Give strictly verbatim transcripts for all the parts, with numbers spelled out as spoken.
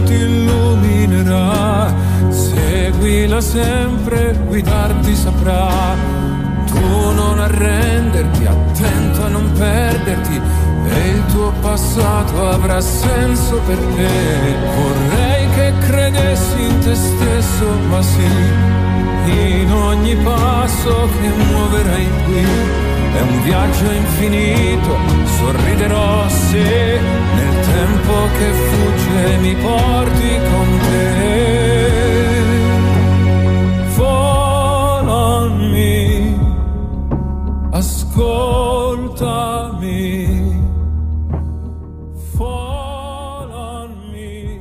ti illuminerà. Seguila sempre, guidarti saprà. Tu non arrenderti, attento a non perderti, e il tuo passato avrà senso per te. Vorrei che credessi in te stesso, ma sì, in ogni passo che muoverai qui. È un viaggio infinito, sorriderò se nel tempo che fugge mi porti con te. Fall on me, ascoltami. Fall on me,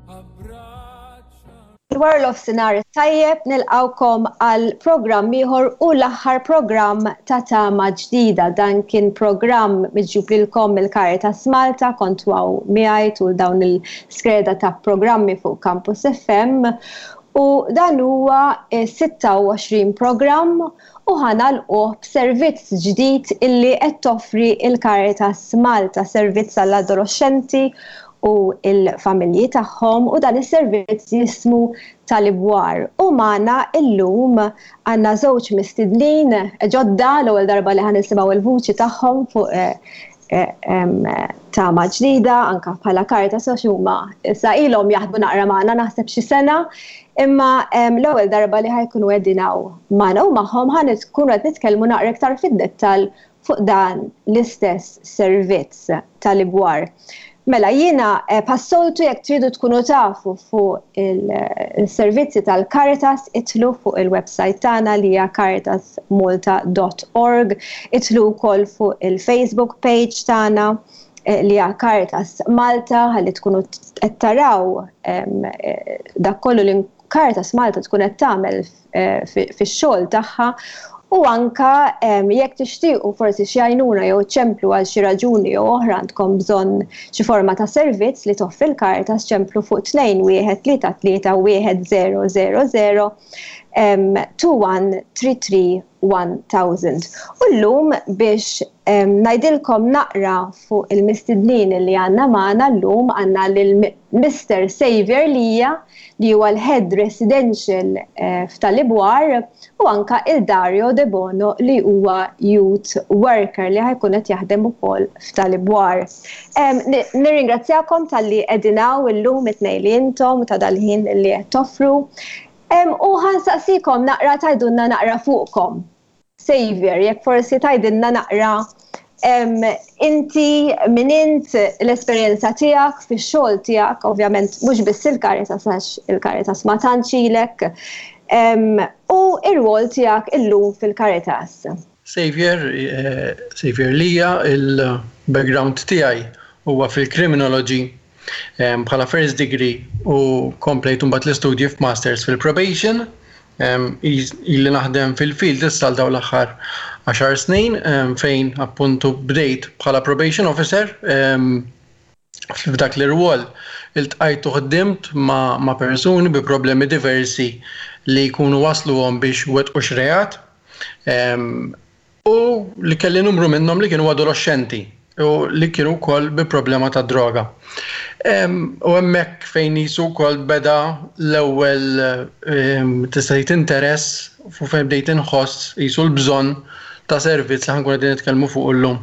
abbracciami. Wara nofsinhar tajjeb, nilqgħukom għal programm ieħor u l-aħħar programm ta' Tama Ġdida. Dan kien programm miġjub lilkom mill-Caritas Malta, kontu hawn miegħi tul dawn il-skreda ta' programmi fuq Campus F M u dan huwa sitta u għoxrin programm u ħa nagħlquh b'servizz ġdid illi qed toffri il-Caritas Malta, servizz għall-adolescenti u il-familji tagħhom, u dan is-servizz jismu Tal-Ibwar. U magħna illum għandna żewġ mistednin ġodda, l-ewwel darba li ħa nisimgħu il-vuċi tagħhom fuq eh, eh, em, Tama Ġdida, anka bħala Caritas, għax huma issa ilhom jaħdmu naqra magħna, naħseb xi sena, imma em, l-ewwel darba li ħa jkunu qegħdin hawn magħna u magħhom ħa nkunu qed nitkellmu naqra iktar fid-dettall fuq dan l-istess servizz Tal-Ibwar. Mela, jiena eh, bħas-soltu, jekk tridu tkunu tafu fuq il-servizzi tal-Caritas, idħlu fuq il-website tagħna li hija caritasmalta dot org, idħlu wkoll fuq il-Facebook page tagħna eh, li hija Caritas Malta, ħalli tkunu qed taraw em, eh, dak kollu li Caritas Malta tkun qed tagħmel eh, fi- fix-xogħol tagħha. U anka em, jekk tixtiequ forsi xi għajnuna jew ċemplu għal xi raġuni jew oħra, għandkom bżonn xi forma ta' servizz li toffri l-Caritas, ċemplu fuq tnejn wieħed tlieta tlieta wieħed żero żero żero, two one three three one thousand. U llum biex um, ngħidilkom naqra fuq il-mistednin li għandna magħna llum, għandna lil Mister Xavier Lija, li huwa l-Head Residential eh, f'Tal-Ibwar, u anka il-Dario De Bono, li huwa Youth Worker li ħa jkun qed jaħdem ukoll f'Tal-Ibwar. Um, Nirringrazzjakom talli qegħdin hawn illum it-tnejn li intom, ta' dal-ħin li qed toffru. Um, u ħa nsaqsikom naqra tgħidulna naqra fuqkom. Xavier, jekk forsi tgħidilna naqra em, inti min int, l-esperjenza tiegħek fix-xogħol tiegħek, ovvjament mhux biss il-Caritas, għax il-Caritas ma tantx ilek, em, u ir-rwol tiegħek illum fil-Caritas. Xavier, eh, Xavier Lija, il-background tiegħi huwa fil-criminology em, bħala first degree u komplejt mbagħad l-istudji f'masters fil-probation. Em, Ili naħdem fil-field issa għal dawn l-aħħar għaxar snin, em, fejn appuntu bdejt bħala probation officer. em, F'dak l-irwol iltqajt u ħdimt ma', ma persuni bi problemi diversi li jkunu wasluhom biex wettqu xi reat. Em, u li kelli numru minnhom li kienu adolescenti u li kienu wkoll bi problema ta' droga. Em, U hemmhekk fejn qisu wkoll beda l-ewwel em, tista' tgħid interess fu fejn bdejt inħoss qisu l-bżonn ta' servizz li ħa nkunu qegħdin nitkellmu fuq illum.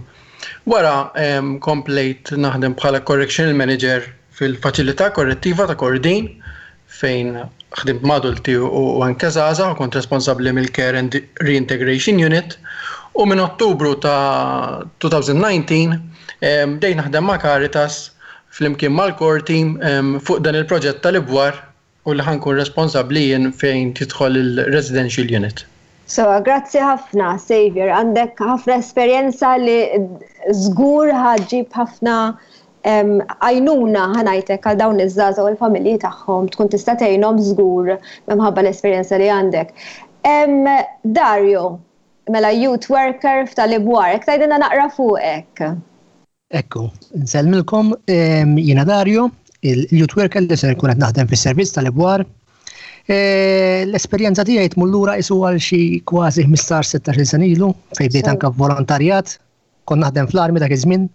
Wara em, komplejt naħdem bħala correctional manager fil-faċilità korrettiva ta' Kordin, fejn ħdimt ma' adulti u u anke żgħażagħ u kont responsabbli mill-Care and Reintegration Unit, u minn Ottubru ta' elfejn u dsatax em, bdejt naħdem ma' Caritas flimkien mal-core team em, fuq dan il-proġett Tal-Ibwar u li ħa nkun responsabbli jien fejn tidħol il-Residential Unit. So, grazzi ħafna, Xavier. Għandek ħafna esperjenza li żgur ħa ġġib ħafna em, għajnuna, ħa ngħidlek, għal dawn iż-żgħażagħ u l-familji tagħhom, tkun tista' tgħinhom żgur minħabba l-esperjenza li għandek. Em, Dario, mela youth worker f'Tal-Ibwar, jekk tgħidilna naqra fuqek. Ekku, nsellmilkom, em, jiena Dario, il-youth worker li se nkun qed naħdem fis-servizz Tal-Ibwar. E, L-esperjenza tiegħi tmur lura qisu għal xi kważi ħmistax sittax-il sena ilu, fejn bdejt anke volontarjat, kont naħdem fl-armi dak iż-żmien.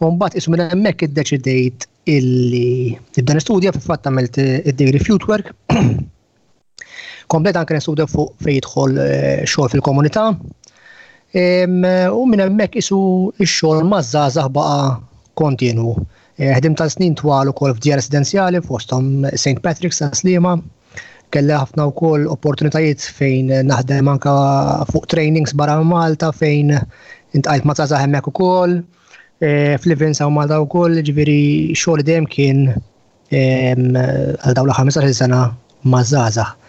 U mbagħad qisu minn hemmhekk iddeċidejt Illi nibda nistudja. Fil-fatt għamilt id-degree f'Youth Work. Komplet anke nistudja fuq fejn jidħol eh, xogħol fil-komunità. U minn hemmhekk isu x-xogħol maż-żgħażagħ baqa' kontinu. Eh, ħdim tal snin twal ukoll f'djar residenzjali, fosthom Saint Patrick's ta' Sliema. Kelli ħafna wkoll opportunitajiet fejn naħdem anka fuq trainings barra Malta, fejn iltqajt ma' żgħażagħ hemmhekk ukoll. Eh, Fl-events hawn Malta wkoll, ġifieri xogħol dejjem kien għal dawn l-ħmistax-il sena ma' żgħażagħ.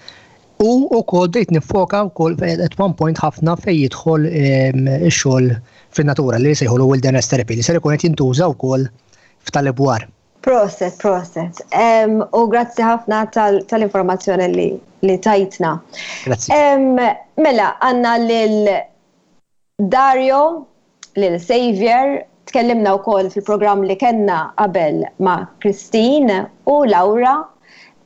U wkoll bdejt nifoka wkoll at one point ħafna fejn jidħol ix-xogħol fin-natura li jsejħulu wilderness therapy, li ser ikun qed jintuża wkoll f'Tal-Ibwar. Proset, proset. U grazzi ħafna tal-informazzjoni li, li tajtna. Grazzi. Mela, għandna lil Dario, lil Xavier, tkellimna wkoll fil-programm li kellna qabel ma' Christine u Laura,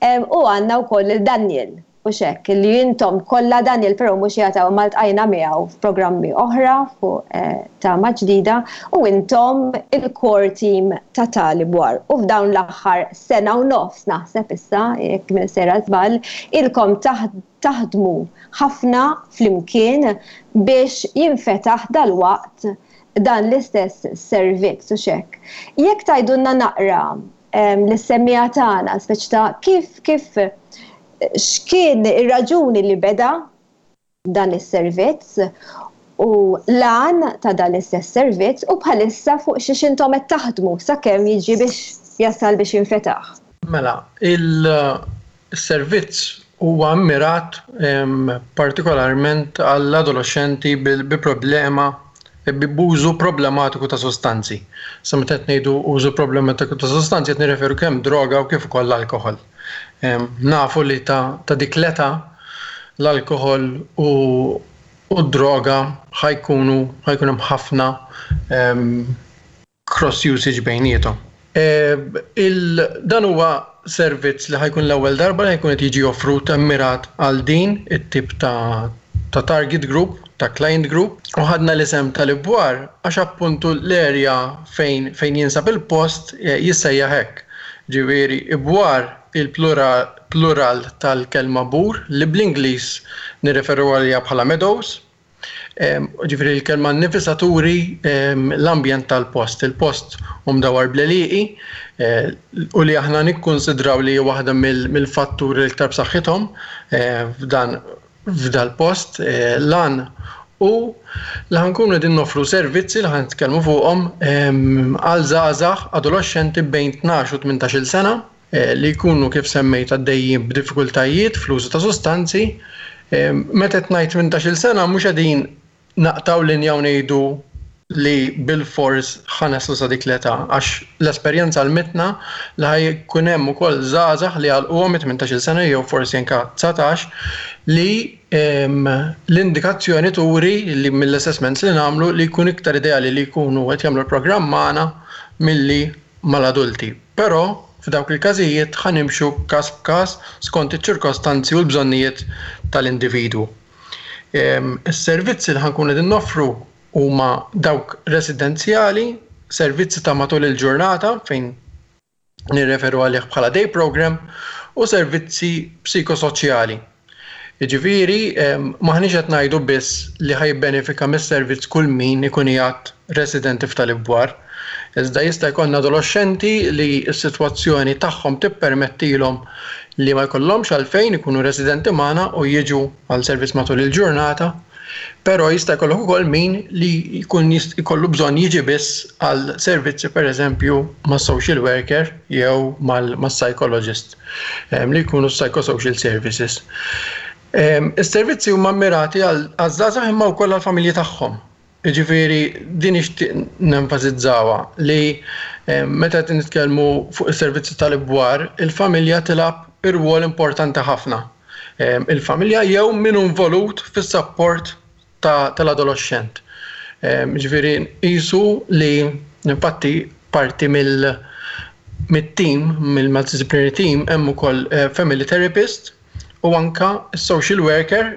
u għandna wkoll lil Daniel. U xek, li intom kollha, Daniel però mhux jagħtaw maltqajna miegħu f'programmi oħra fuq eh, Tama Ġdida, u intom il-core team ta' Tal-Ibwar. U f'dawn l-aħħar sena u nofs, naħseb issa, jekk minn sera żball, ilkom taħdmu ħafna flimkien biex jinfetaħ dal-waqt dan l-istess servizz u xek. Jekk tgħidulna naqra lis-semmiegħa tagħna, speċi ta' kif kif x'kien ir-raġuni li beda dan is-servizz u l-għan ta' dan l-istess servizz u bħalissa fuq xiex intom qed taħdmu sakemm jiġi biex jasal biex jinfetaħ. Mela, il-servizz huwa mmirat partikolarment għall-adolescenti bi problema b'użu problematiku ta' sostanzi. Sa meta qed ngħidu użu problematiku ta' sostanzi, qed nirreferu kemm droga u kif ukoll alkohol. Nafu li ta', ta dik l-età l-alkohol u, u droga ħa jkunu ħa jkun hemm ħafna cross usage bejniethom. Dan huwa servizz li ħa jkun l-ewwel darba li ħa jkun qed jiġi offrut immirat għal din it-tip ta' ta' target group, ta' client group, u ħadna l-isem Tal-Ibwar għax appuntu l-area fejn, fejn jinsab il-post eh, jissejjaħ hekk. Ġifieri, ibwar il-plural plural tal-kelma bur li bl-Ingliż nirreferu għalija bħala meadows. Ġifieri l-kelma nnifisha turi l-ambjent tal-post. Il-post hu mdawar bl-għelieqi eh, u li aħna nikkonsidraw li waħda mill-fatturi l-iktar b'saħħithom eh, f'dan f'dal-post eh, lan u li ħa nkunu qegħdin noffru servizzi li ħa nitkellmu fuqhom għal żgħażagħ adolescenti bejn tnax u tmintax-il sena eh, li jkunu, kif semmejt, għaddejjin b'diffikultajiet fl-użu ta' sostanzi. Meta qed ngħid tmintax-il sena, mhux qegħdin naqtgħu linja u ngħidu li bil-fors ħa naslu sa dik l-età, għax l-esperjenza għallmitna li ħa jkun hemm ukoll żgħażagħ li għalquhom tmintax-il sena jew forsi anke dsatax, li l-indikazzjoni turi li mill-assessments li nagħmlu li jkun iktar ideali li jkunu qed jagħmlu l-programm magħna milli mal-adulti. Però f'dawk il-każijiet ħa nimxu każ b'każ skont iċ-ċirkostanzi u l-bżonnijiet tal-individwu. Is-servizzi li ħa nkunu qegħdin noffru huma dawk residenzjali, servizzi ta' matul il-ġurnata fejn nirreferu għalih bħala day program, u servizzi psikosoċjali. Jiġifieri, m'aħniex qed ngħidu biss li ħa jibbenefika mis-servizz kull min ikun qiegħed residenti f'Tal-Ibwar. Iżda jista' jkollna adolescenti li s-sitwazzjoni tagħhom tippermettilhom li ma jkollhomx għalfejn ikunu residenti magħna u jiġu għal servizz matul il-ġurnata. Però jista' jkollok ukoll min li jkun jkollu bżonn jiġi biss għal servizzi, pereżempju ma' social worker jew mal-psychologist li jkunu psychosocial services. Is-servizzi huma mirati għal żgħażagħ imma wkoll għall-familji tagħhom. Jiġifieri din nixtieq nenfasizzawha, li meta qed nitkellmu fuq is-servizzi Tal-Ibwar, il-familja tilgħab ir-rwol importanti ħafna. Il-familja jew min involut fis-support tal-adolescent. Ġifieri qisu li infatti parti mill mit-team, mill-multidisciplinary team, hemm ukoll eh, family therapist. U anka social worker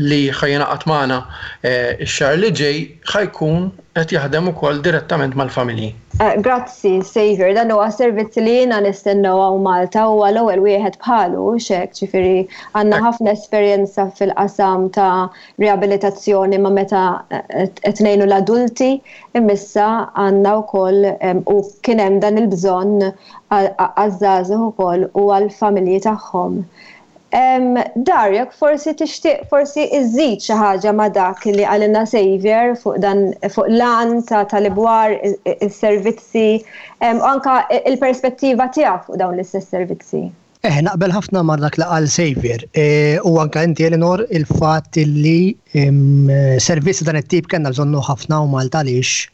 li ħa jingħaqad magħna eh, x-xahar li ġej ħa jkun qed jaħdem ukoll direttament mal-familji. Eh, grazzi, Xavier, dan huwa servizz li jiena nistennew hawn Malta, huwa l-ewwel wieħed bħalu xek, ġifieri għandna ħafna esperjenza fil-qasam ta' riabilitazzjoni ma' meta eh, qed ngħinu l-adulti, imma issa għandna wkoll u kien hemm dan il-bżonn għaż-żgħażagħ ukoll u għall-familji tagħhom. Dario, forsi tixtieq forsi iżid xi ħaġa ma' dak li qalilna Xavier fuq dan, fuq l-għan ta' tal-ibwar, is-servizzi, u anka il-perspettiva tiegħek fuq dawn l-istess servizzi. Eh, naqbel ħafna ma' dak li qal Xavier. E, u anka inti, Eleanor, il-fatt li servizzi dan it-tip kellna bżonnu ħafna u Malta, għaliex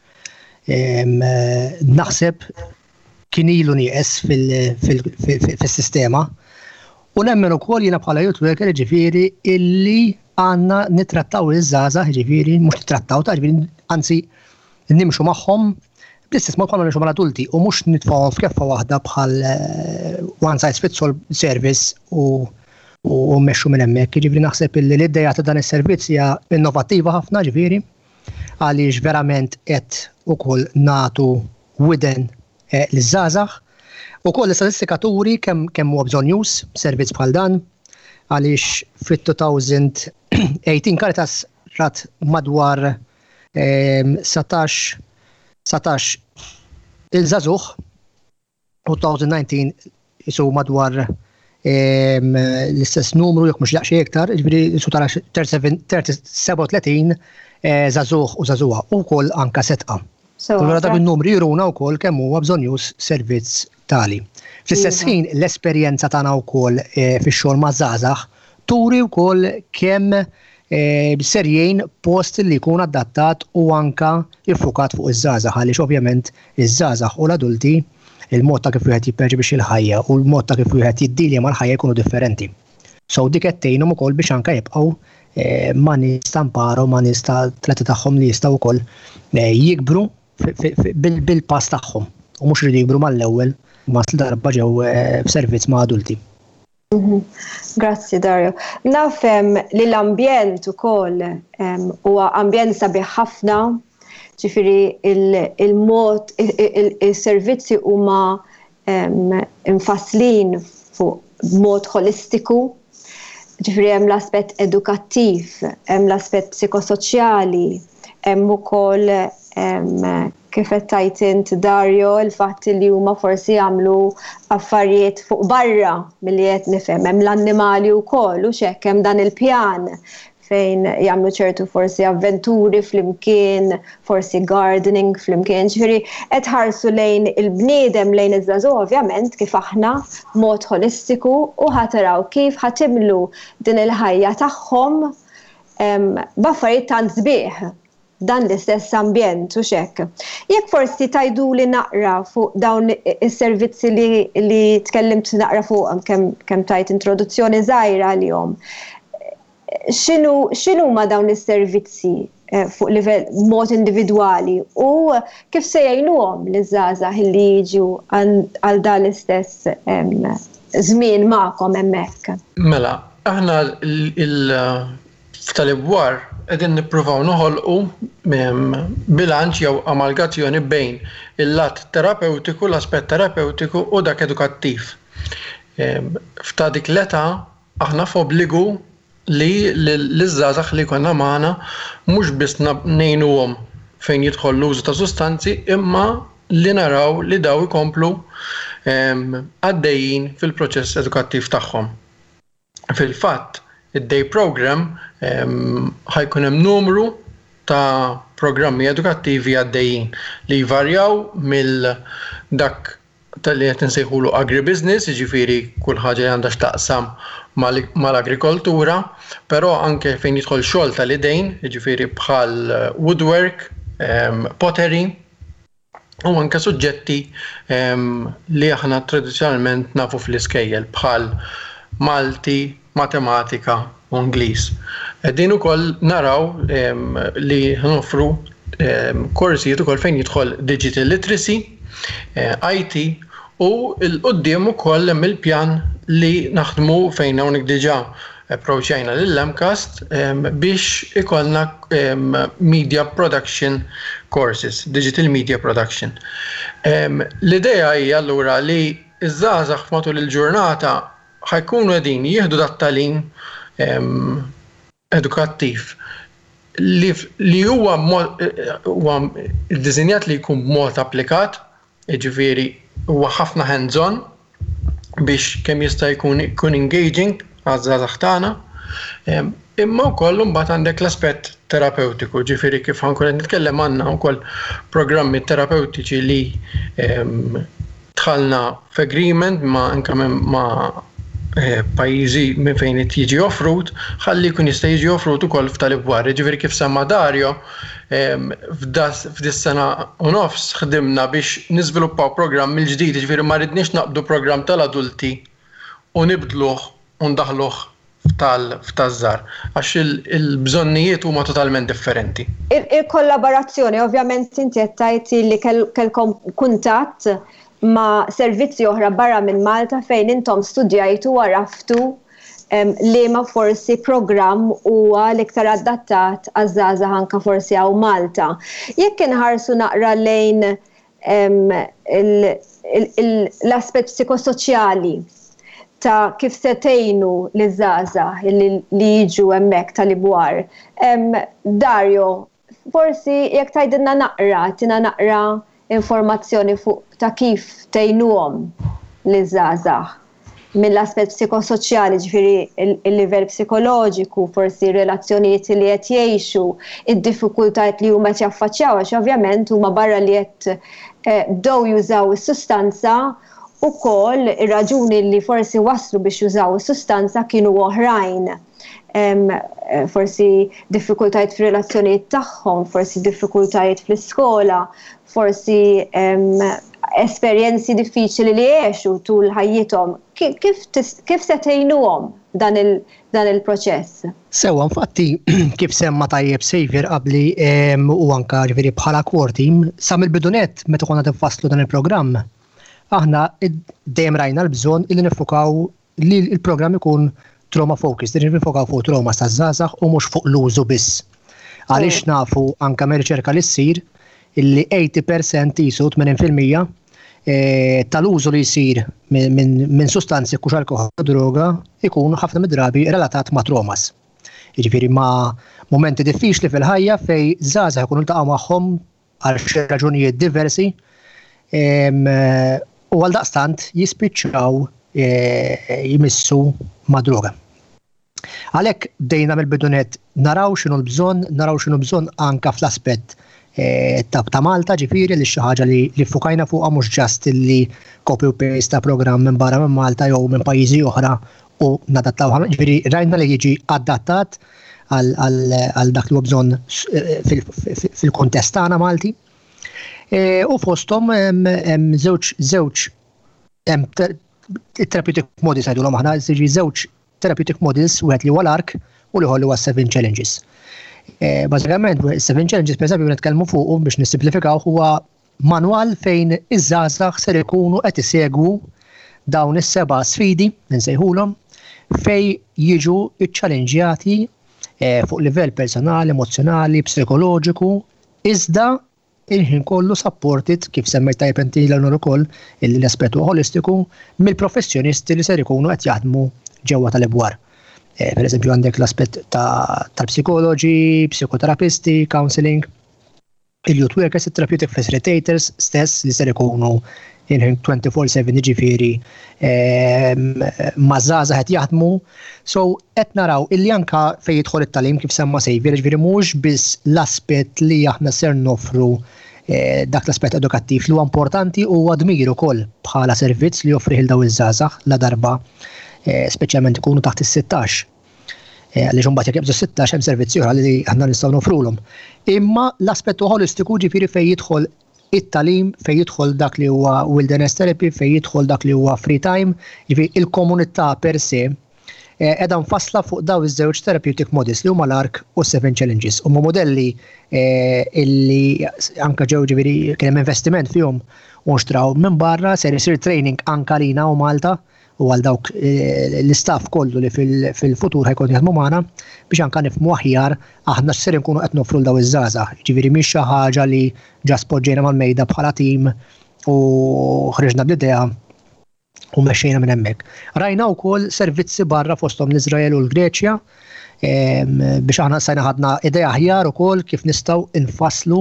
naħseb kien ilu nieqes fil-sistema. U nemmen ukoll jiena bħala youth worker, ġifieri, illi għandna nitrattaw iż-żgħażagħ, ġifieri mhux nittrattaw ta' ġifieri, anzi nimxu magħhom bl-istess mod bħalma nimxu mal-adulti u mhux nitfgħuhom f'keffa waħda bħal eh, one size fits all service u u mmexxu minn hemmhekk. Ġifieri naħseb illi l-idea ta' dan is-servizz hija innovattiva ħafna, ġifieri għaliex verament qed ukoll nagħtu widen eh, liż-żgħażagħ. Ukoll l-istatistika turi kemm kemm huwa bżonnjuż servizz bħal dan, għaliex fit-elfejn u tmintax Caritas rat madwar satax satax il-żagħżugħ u elfejn u dsatax jisu madwar l-istess numru, jekk mhux daqsxejn iktar, ġifieri jisu tara sebgħa u tletin eh, żagħżugħ u żagħżugħa u wkoll anka setqa. Allura dak il-numri juruna wkoll kemm huwa bżonnjuż servizz tali. Fl-istess iva. ħin l-esperjenza tagħna wkoll eh, fix-xogħol ma' żgħażagħ turi wkoll kemm eh, ser jgħin post li jkun adattat u anka iffukat fuq iż-żgħażagħ, għaliex ovvjament iż-żgħażagħ u l-adulti, il-mod ta' kif wieħed jipperċepixxi l-ħajja u l-mod ta' kif wieħed jiddilja mal-ħajja jkunu differenti. So dik qed tgħinhom ukoll biex anka jibqgħu eh, ma' nies ta' mparu, ma' nies ta' tleta tagħhom li jistgħu wkoll jikbru bil-pass tagħhom u mhux iridu jikbru mal-ewwel ma darba ġew eh, f'servizz ma' adulti. Mhm. Grazzi, Dario. Nafhem li l-ambjent ukoll huwa ambjent sabiħ ħafna, ġifieri il-mod il-servizzi huma imfasslin fuq mod holistiku, ġifieri hemm l-aspett edukattiv, hemm l-aspett psikosoċjali, hemm ukoll, kif qed tgħid int, Dario, il-fatt li huma forsi jagħmlu affarijiet fuq barra milli qed nifhem, hemm l-annimali wkoll u x'hekk, hemm dan il-pjan fejn jagħmlu ċertu forsi avventuri flimkien, forsi gardening flimkien, ġifieri qed ħarsu lejn il-bniedem, lejn iż-żagħżugħ ovvjament kif aħna mod holistiku u ħa taraw kif ħa timlu din il-ħajja tagħhom b'affarijiet tant sbieħ dan l-istess ambjent u xek. Jekk forsi tgħiduli naqra fuq dawn is-servizzi li, li tkellimt naqra fuq, kemm kem tajt introduzzjoni żgħira għalihom. X'inhu x'inhu ma dawn is-servizzi eh, fuq livell mod individwali u kif se jgħinuhom liż-żgħażagħ li jiġu għal dan l-istess żmien magħkom hemmhekk? Mela, aħna il f'tal-ibwar qegħdin nippruvaw noħolqu bilanċ jew amalgazzjoni bejn il-lat terapeutiku, l-aspett terapeutiku u dak edukattiv. F'ta' dik l-età aħna f'obbligu li l-żgħażagħ li konna magħna mhux biss ngħinuhom fejn jidħol l-użu ta' sustanzi, imma li naraw li daw ikomplu għaddejjin fil-proċess edukattiv tagħhom. Fil-fatt, id-day program ħa jkun hemm numru ta' programmi edukattivi għaddejjin li jvarjaw mill dak tal-li qed nsejħulu agribusiness, jiġifieri kull ħaġa li għandha x'taqsam mal-agrikoltura, però anke fejn jidħol xogħol tal-idejn, jiġifieri bħal woodwork, pottery, u anke suġġetti li aħna tradizzjonalment nafu fl-iskejjel bħal Malti, matematika u Ingliż. Din ukoll naraw li noffru korsijiet ukoll fejn jidħol digital literacy, eh, I T u 'l quddiem ukoll hemm il-pjan li naħdmu fejn hawnhekk diġà approachajna lill-M CAST biex ikollna media production courses, digital media production. L-idea hija allura li iż-żgħażagħ matul il-ġurnata ħa jkunu qegħdin jieħdu dat-tagħlim edukattiv li, li huwa huwa ddisinjat li jkun b'mod applikat, jiġifieri huwa ħafna hands-on biex kemm jista' jkun jkun engaging għaż-żgħażagħ tagħna. Imma wkoll imbagħad għandek l-aspett terapeutiku, ġifieri kif ħa nkun qed nitkellem, għandna wkoll programmi terapeutiċi li dħalna f'agreement ma' anke ma' eh, pajjiżi minn fejn jiġi offrut, ħalli jkun jista' jiġi offrut ukoll f'tal-Ibwar. Ġifieri kif semma Dario, f'dis-sena u nofs ħdimna biex niżviluppaw programm mill-ġdid, ġifieri ma ridniex naqbdu programm tal-adulti u nibdluh u ndaħluh f'taż-żgħar, għax il-bżonnijiet huma totalment differenti. Il-kollaborazzjoni, ovvjament inti qed tgħid li kellkom kuntatt ma' servizzi oħra barra minn Malta fejn intom studjajtu u għaraftu li ma forsi programm huwa l-iktar adattat għaż-żgħażagħ anka forsi hawn Malta. Jekk inħarsu naqra lejn l-aspett psikosoċjali ta' kif se tgħinu liż-żgħażagħ li jiġu hemmhekk tal-Ibwar. Dario, forsi jekk tgħidilna naqra, tina naqra informazzjoni fuq ta' kif tgħinuhom liż-żgħażagħ mill-aspett psikosoċjali, ġifieri il-livell psikoloġiku, forsi relazzjonijiet li qed jgħixu, id-diffikultajiet li huma qed jaffaċċjaw, għax ovvjament huma barra li qed eh, bdew jużaw is-sustanza, ukoll ir-raġuni li forsi waslu biex jużaw is-sustanza kienu oħrajn. Eh, forsi diffikultajiet fir-relazzjonijiet tagħhom, forsi diffikultajiet fl-iskola, forsi esperjenzi diffiċli li għexu tul ħajjithom. Kif, kif se tgħinuhom dan il-proċess? Sewa, infatti, kif semma tajjeb Xavier qabli u anka ġifieri bħala core team, sa mill-bidu nett meta konna nfasslu dan il-programm, aħna dejjem rajna l-bżonn illi nifukaw li l-programm ikun trauma focus, li nifukaw fuq trauma ta' żgħażagħ u mhux fuq l-użu biss. Għaliex nafu anka me riċerka li ssir illi tmenin fil-mija jisu tmenin fil-mija eh, tal-użu li jsir minn sustanzi, kux alkohol, droga, ikun ħafna mid-drabi relatat ma' traumas. Jiġifieri ma' momenti diffiċli fil-ħajja fejn żgħażagħ ikunu ltaqgħu magħhom għal xi raġunijiet diversi u għal daqstant jispiċċaw e, jimissu ma' droga. Għalhekk bdejna mill-bidu nett naraw x'inhu l-bżonn, naraw x'inhu bżonn anka fl-aspett e, ta' ta' Malta, ġifieri li xi ħaġa li, li fukajna fuqha mhux just li copy u paste ta' programm minn barra minn Malta jew minn pajjiżi oħra u nadattaw. Ġifieri rajna li jiġi adattat għal dak li huwa bżonn e, fil-kontest tagħna Malti. E, u fosthom hemm żewġ żewġ hemm therapeutic models ngħidulhom aħna, jiġi żewġ therapeutic models, wieħed li huwa l-ARC u l-ieħor li huwa Seven Challenges. E, bażikament, Seven Challenges, per eżempju, nitkellmu fuq biex nissimplifikaw, huwa manwal fejn iż-żgħażagħ ser ikunu qed isegwu dawn is-seba' sfidi, nsejħulhom, fejn jiġu iċċallenġjati e, fuq livell personali, emozjonali, psikoloġiku, iżda il-ħin kollu supported, kif semmejt tajjeb inti l ukoll, l-aspettu holistiku mill-professjonisti li ser ikunu qed jaħdmu ġewwa tal-Ibwar. E, per eżempju, għandek l-aspett tal-psikoloġi, psikoterapisti, counseling, il-youth workers, il-therapeutic facilitators stess li ser ikunu il-ħin twenty-four seven, ġifieri maż-żgħażagħ qed jaħdmu. So qed naraw illi anka fejn jidħol it-tagħlim, kif semma Xavier, ġifieri mhux biss l-aspett li aħna ser nofru eh, dak l-aspett edukattiv li huwa importanti u dmir ukoll bħala servizz li joffri lil dawn iż-żgħażagħ la darba eh, speċjalment ikunu taħt is-sittax. Eh, għaliex imbagħad jekk jibżu sittax hemm servizzi oħra li aħna nistgħu nofrulhom. Imma l-aspett holistiku, ġifieri fejn jidħol it-tagħlim, fejn jidħol dak li huwa wilderness therapy, fejn jidħol dak li huwa free time, ġifieri il-komunità per se eh, qiegħda mfassla fuq dawn iż-żewġ therapeutic models li huma l-ARC u Seven Challenges. Huma modelli eh, illi anka ġew, ġifieri kien hemm investiment fihom u nxtraw minn barra, ser isir training anka lina u Malta. u għal dawk eh, l-istaff kollu li fil-futur ħa jkun jaħdmu magħna biex anka nifhmu aħjar aħna x'ser nkunu qed nofru 'l daw iż-żgħażagħ. Ġifieri mhix xi ħaġa li ġa poġġejna mal-mejda bħala tim u ħriġna bl-idea u mexxejna minn hemmhekk. Rajna wkoll servizzi barra, fosthom l-Iżrael u l-Greċja, biex aħna sajna ħadna idea aħjar ukoll kif nistgħu infasslu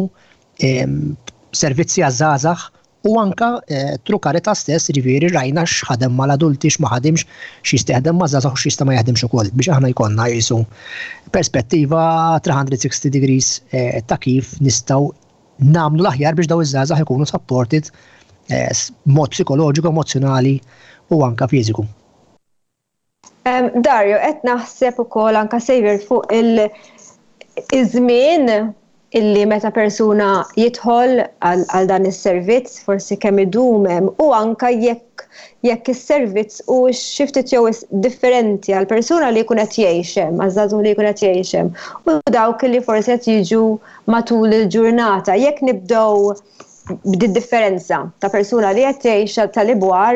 servizzi għaż-żgħażagħ u anka eh, through Caritas stess, ġifieri rajna x'ħadem mal-adulti, x'ma ħadimx, x'jista' jaħdem ma' żgħażagħ u x'jista' ma jaħdimx ukoll biex aħna jkollna jisu perspettiva three hundred sixty degrees eh, ta' kif nistgħu nagħmlu l-aħjar biex daw iż-żgħażagħ ikunu supported eh, mod psikoloġiku, emozjonali u anka fiżiku. Dario, qed naħseb ukoll anka, Xavier, fuq il-żmien illi meta persuna jidħol għal dan is-servizz, forsi kemm idum hemm u anka jekk jekk is-servizz u xi ftit jew differenti għal persuna li jkun qed jgħix hemm, għaż-żagħżugħ li jkun qed jgħix hemm, u dawk li forsi qed jiġu matul il-ġurnata. Jekk nibdew b'di differenza ta' persuna li qed tgħix tal-ibwar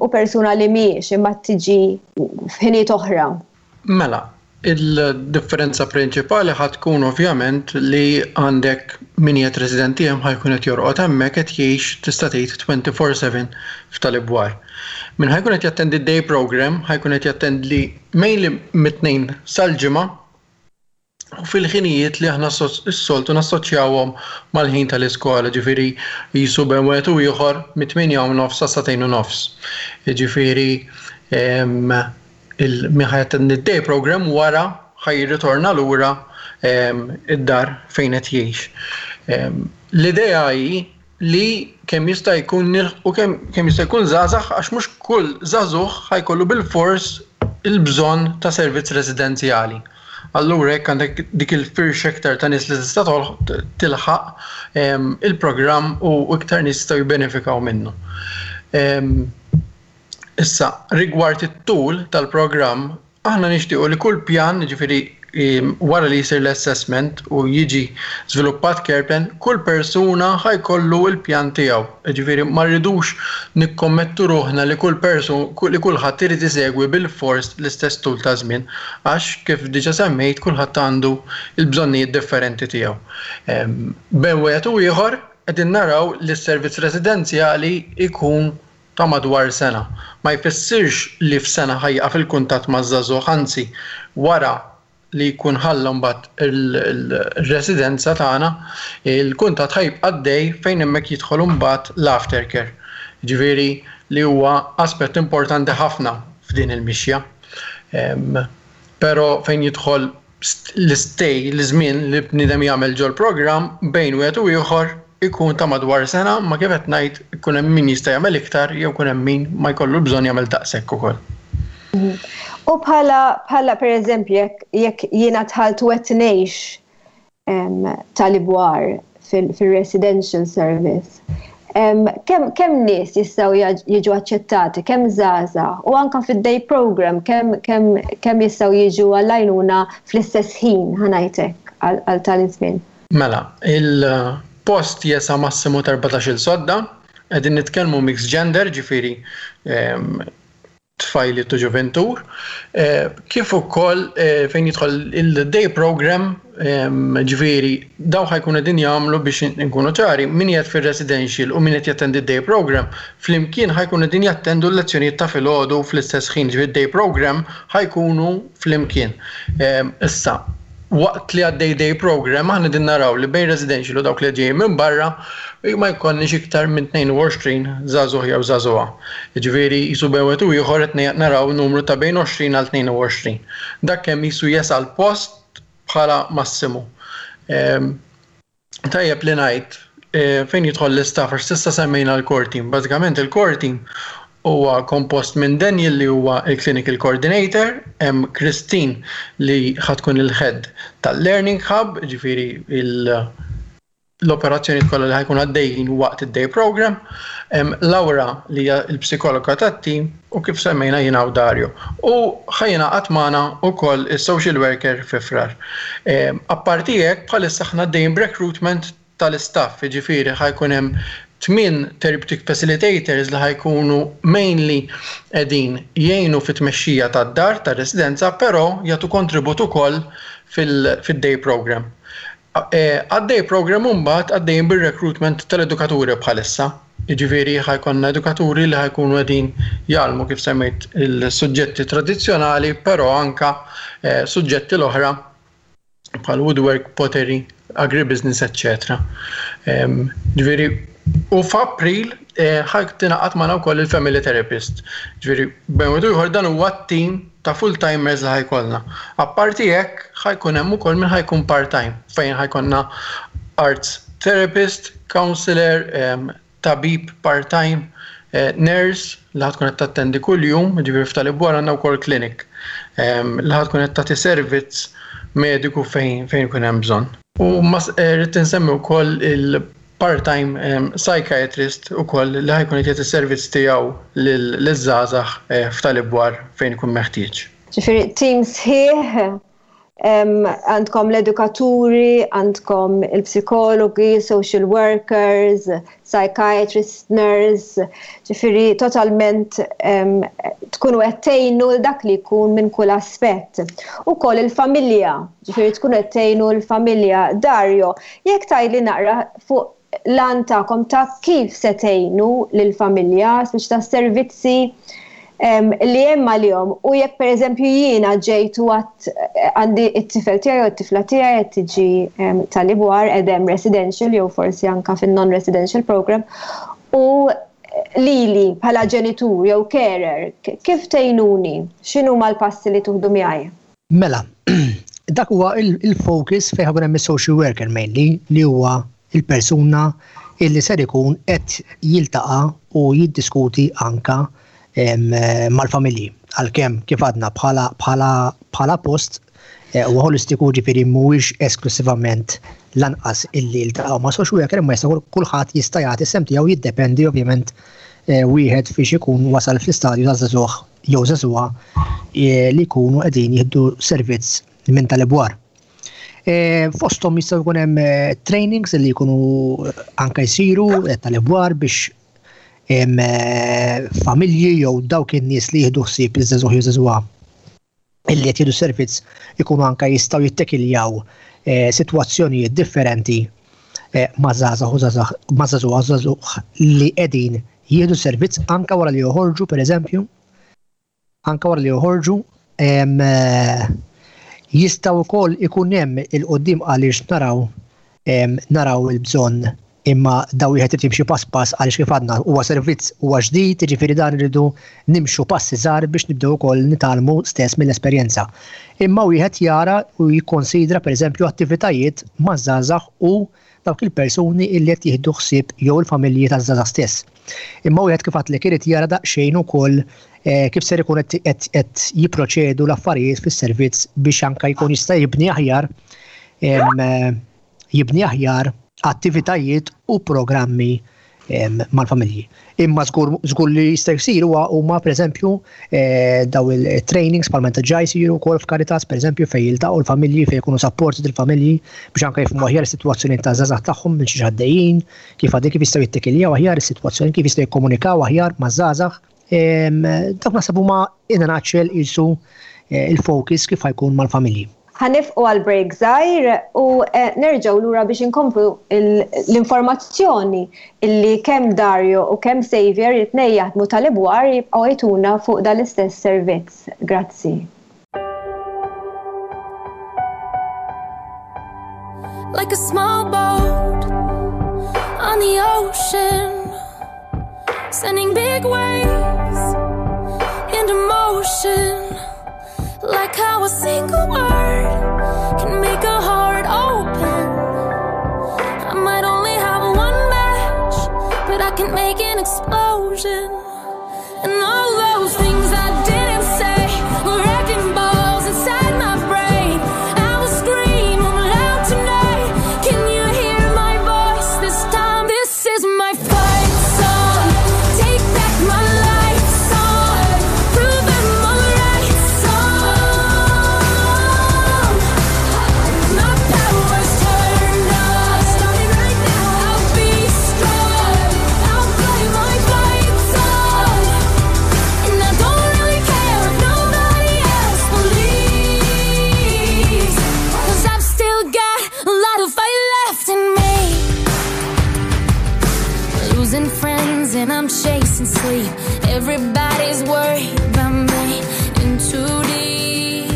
u persuna li mhijiex imma tiġi f'ħinijiet oħra. Mela, il-differenza prinċipali ħa tkun ovvjament li għandek min qiegħed residenti hemm ħa jkun qed jorqod hemmhekk, qed jgħix, tista' tgħid, twenty-four seven f'tal-ibwar. Min ħa jkun qed jattendi day program ħa jkun qed jattendi mainly mit-Tnejn sal-Ġimgħa u fil-ħinijiet li aħna s-soltu nassoċjawhom mal-ħin tal-iskola, ġifieri jisu bejn wieħed u ieħor mit-tmienja u nofs sa sagħtejn u nofs. Ġifieri min ħa jattendi day program wara ħa jirritorna lura id-dar fejn qed jgħix. L-idea hi li kemm jista' jkun u kemm jista' jkun żgħażagħ, għax mhux kull żagħżugħ ħa jkollu bil-fors il-bżonn ta' servizz residenzjali. Allura jekk għandek dik il-firxa iktar ta' nies li tista' tilħaq il-programm u iktar nies jistgħu jibbenefikaw minnu. Issa, rigward it-tul tal-programm, aħna nixtiequ li kull pjan, ġifieri wara li jisir l-assessment u jiġi żviluppat care plan, kull persuna ħa jkollu il-pjan tiegħu. Ġifieri ma rridux nikkommettu ruħna li kull persun li kulħadd irid isegwi bil-fors l-istess tul ta' żmien, għax kif diġà semmejt, kulħadd għandu il-bżonnijiet differenti tiegħu. Bejn wieħed u ieħor qegħdin naraw li s-servizz residenzjali ikun ta' madwar sena. Ma jfissirx li f'sena ħa jieqaf il-kuntatt ma' żagħżugħ, anzi wara li jkun ħalla mbagħad il-residenza tagħna, il-kuntatt ħa jibqa' għaddej fejn hemmhekk jidħol mbagħad l-aftercare. Ġifieri li huwa aspett importanti ħafna f'din il-mixja. Però fejn jidħol l-stay, l-żmien li bniedem jagħmel ġol program bejn wieħed u ieħor ikun ta' madwar sena, ma kif qed ngħid, ikun hemm min jista' jagħmel iktar jew ikun hemm min ma jkollu bżonn jagħmel daqshekk ukoll. Mhm. U bħala bħala per eżempju jekk jekk jiena dħalt u qed ngħix tal-ibwar fil-residential service, kemm kemm nies jistgħu jiġu aċċettati, kemm żgħażagħ, u anka fid-day program kemm kemm kemm jistgħu jiġu għall-għajnuna fl-istess ħin, ħa ngħidlek, għal tal-żmien? Mela, il-post jesa' massimu ta' erbatax-il sodda, qegħdin nitkellmu mixed gender, ġifieri tfajli u ġuventur, eh, kif ukoll eh, fejn jidħol il-day program, ġifieri daw ħa jkunu din jagħmlu, biex nkunu ċari, min qiegħed fir-residential u min qed jattendi day program, flimkien ħa jkunu din jattendu l-lezzjonijiet ta' filgħodu fl-istess ħin, ġifieri day program ħa jkunu flimkien. Issa, waqt li għaddej day program, aħna din naraw li bejn residential u dawk li ġejjin minn barra ma jkollniex iktar minn tnejn u għoxrin żagħżugħ jew żagħżugħa. Ġifieri jisu bejn wieħed u ieħor qed naraw numru ta' bejn għoxrin għal tnejn u għoxrin. Dak kemm jisu jesa' l-post bħala massimu. Tajjeb li ngħid e, fejn jidħol l-istaff, għax s'issa semmejna l-core team. Bażikament il-core team huwa kompost minn Daniel li huwa il-clinical coordinator, hemm Christine li ħa tkun il-head tal-Learning Hub, ġifieri l-operazzjoni kollha li ħa jkun għaddejjin waqt id-day program, hemm Laura li hija l-psikologa tat-team u kif semmejna jiena u Dario. U ħa jingħaqad magħna wkoll is-social worker fi Frar. Apparti hekk, bħalissa aħna għaddejjin recruitment tal-istaff, ġifieri ħa jkun hemm Tmien therapeutic facilitators li ħa jkunu mainly qegħdin jgħinu fit-tmexxija tad-dar tar-residenza, però jagħtu kontribut ukoll fil-day program. Għad-day program mbagħad għaddejjin bir-recruitment tal-edukaturi bħalissa. Jiġifieri ħa jkollna edukaturi li ħa jkunu qegħdin jgħallmu kif semmejt il-suġġetti tradizzjonali, però anka suġġetti l-oħra bħal woodwork, pottery, agribusiness, eċċetera. Ġifieri, u f'April ħa tingħaqad magħna wkoll il-family therapist. Ġifieri, bejn wieħed u ieħor dan huwa t-team ta' full-timers li ħa jkollna. Apparti hekk ħa jkun hemm ukoll min ħa jkun part-time, fejn ħa jkollna arts therapist, counselor, tabib part-time, nurse li ħa tkun qed tattendi kuljum, ġifieri f'Tal-Ibwar għandna wkoll clinic li ħa tkun qed tagħti servizz mediku fejn fejn ikun hemm bżonn. U rrid insemmi wkoll il-part-time psychiatrist ukoll li ħa jkun qed jagħti servizz tiegħu liż-żgħażagħ f'Tal-Ibwar fejn ikun meħtieġ. Ġifieri team sħiħ, għandkom l-edukaturi, għandkom il-psikologi, social workers, psychiatrists, nurse, ġifieri totalment tkunu qed tgħinu dak li jkun minn kull aspett. Ukoll il-familja, ġifieri tkunu qed tgħinu l-familja. Dario, jekk tgħidli naqra fuq l-għan tagħkom ta' kif se tgħinu lill-familja, speċi ta' servizzi li hemm għalihom, u jekk pereżempju jiena ġejt u għad għandi t-tifel tiegħi u t-tifla tiegħi qed tiġi Tal-Ibwar qed residential jew forsi anka fin-non-residential program, u lili bħala ġenitur jew carer, kif tgħinuni? X'inhuma l-passi li tuħdu miegħi? Mela, dak huwa il-focus fejn ħa jkun hemm is-social worker mainly, li huwa il-persuna illi ser ikun qed jiltaqa' u jiddiskuti anka mal-familji. Għalkemm kif għadna bħala bħala bħala post huwa holistiku, ġifieri mhuwiex esklusivament lanqas illi jiltaqgħu ma' social worker, imma jista' kulħadd jista' jagħti sem tiegħu, jiddependi ovvjament wieħed fiex ikun wasal fl-istadju ta' żagħżugħ jew żagħżugħa li jkunu qegħdin jieħdu servizz minn Tal-Ibwar. Fosthom jistgħu jkun hemm trainings li jkunu anka jsiru Tal-Ibwar biex familji jew dawk in-nies li jieħdu ħsieb iż-żagħżugħ jew żagħżugħa illi qed jieħdu servizz ikunu anka jistgħu jittekiljaw sitwazzjonijiet differenti ma' żgħażagħ u żagħżugħ ma' żagħżugħ żagħżugħ li qegħdin jieħdu servizz anka wara li joħorġu, pereżempju, anka wara li joħorġu jistgħu wkoll ikun hemm il-qudiem għaliex naraw naraw il-bżonn, imma daw wieħed irid jimxi pass pass għaliex kif għadna huwa servizz huwa ġdid, jiġifieri dan irridu nimxu passi żgħar biex nibdew ukoll nitgħallmu stess mill-esperjenza. Imma wieħed jara u jikkonsidra pereżempju attivitajiet maż-żgħażagħ u dawk il-persuni illi qed jieħdu ħsieb jew il-familji taż-żgħażagħ stess. Imma wieħed kif għadlek irid jara daqsxejn ukoll kif ser ikun qed jipproċedu l-affarijiet fis-servizz biex anke jkun jista' jibni aħjar jibni aħjar attivitajiet u programmi mal-familji. Imma żgur li jista' jsir huwa huma pereżempju daw il-trainings bħalma diġà jsiru wkoll f'Caritas pereżempju fejn jiltaqgħu l-familji, fejn jkunu supported il-familji biex anke jifhmu aħjar is-sitwazzjoni taż-żgħażagħ tagħhom minn xi għaddejjin, kif għaddej, kif jistgħu jittekiljaw aħjar is-sitwazzjoni, kif jistgħu jikkomunikaw aħjar maż-żgħażagħ. Dawk naħseb huma in a nutshell qisu il-focus kif ħa jkun mal-familji. Ħa nifqu għal break żgħir u nerġgħu lura biex inkomplu l-informazzjoni illi kemm Dario u kemm Xavier it-tnejn jaħdmu Tal-Ibwar jibqgħu jtuna fuq dan l-istess servizz. Grazzi. Like a small boat on the ocean, sending big waves into motion. Like how a single word can make a heart open. I might only have one match, but I can make an explosion. And all those things I didn't say were wrecking balls inside my brain. I will scream loud tonight. Can you hear my voice this time? This is my fight song. Take back my life song. Prove I'm alright song. My power's turned on. Starting right now. I'll be strong. chasing sleep. Everybody's worried about me. In too deep,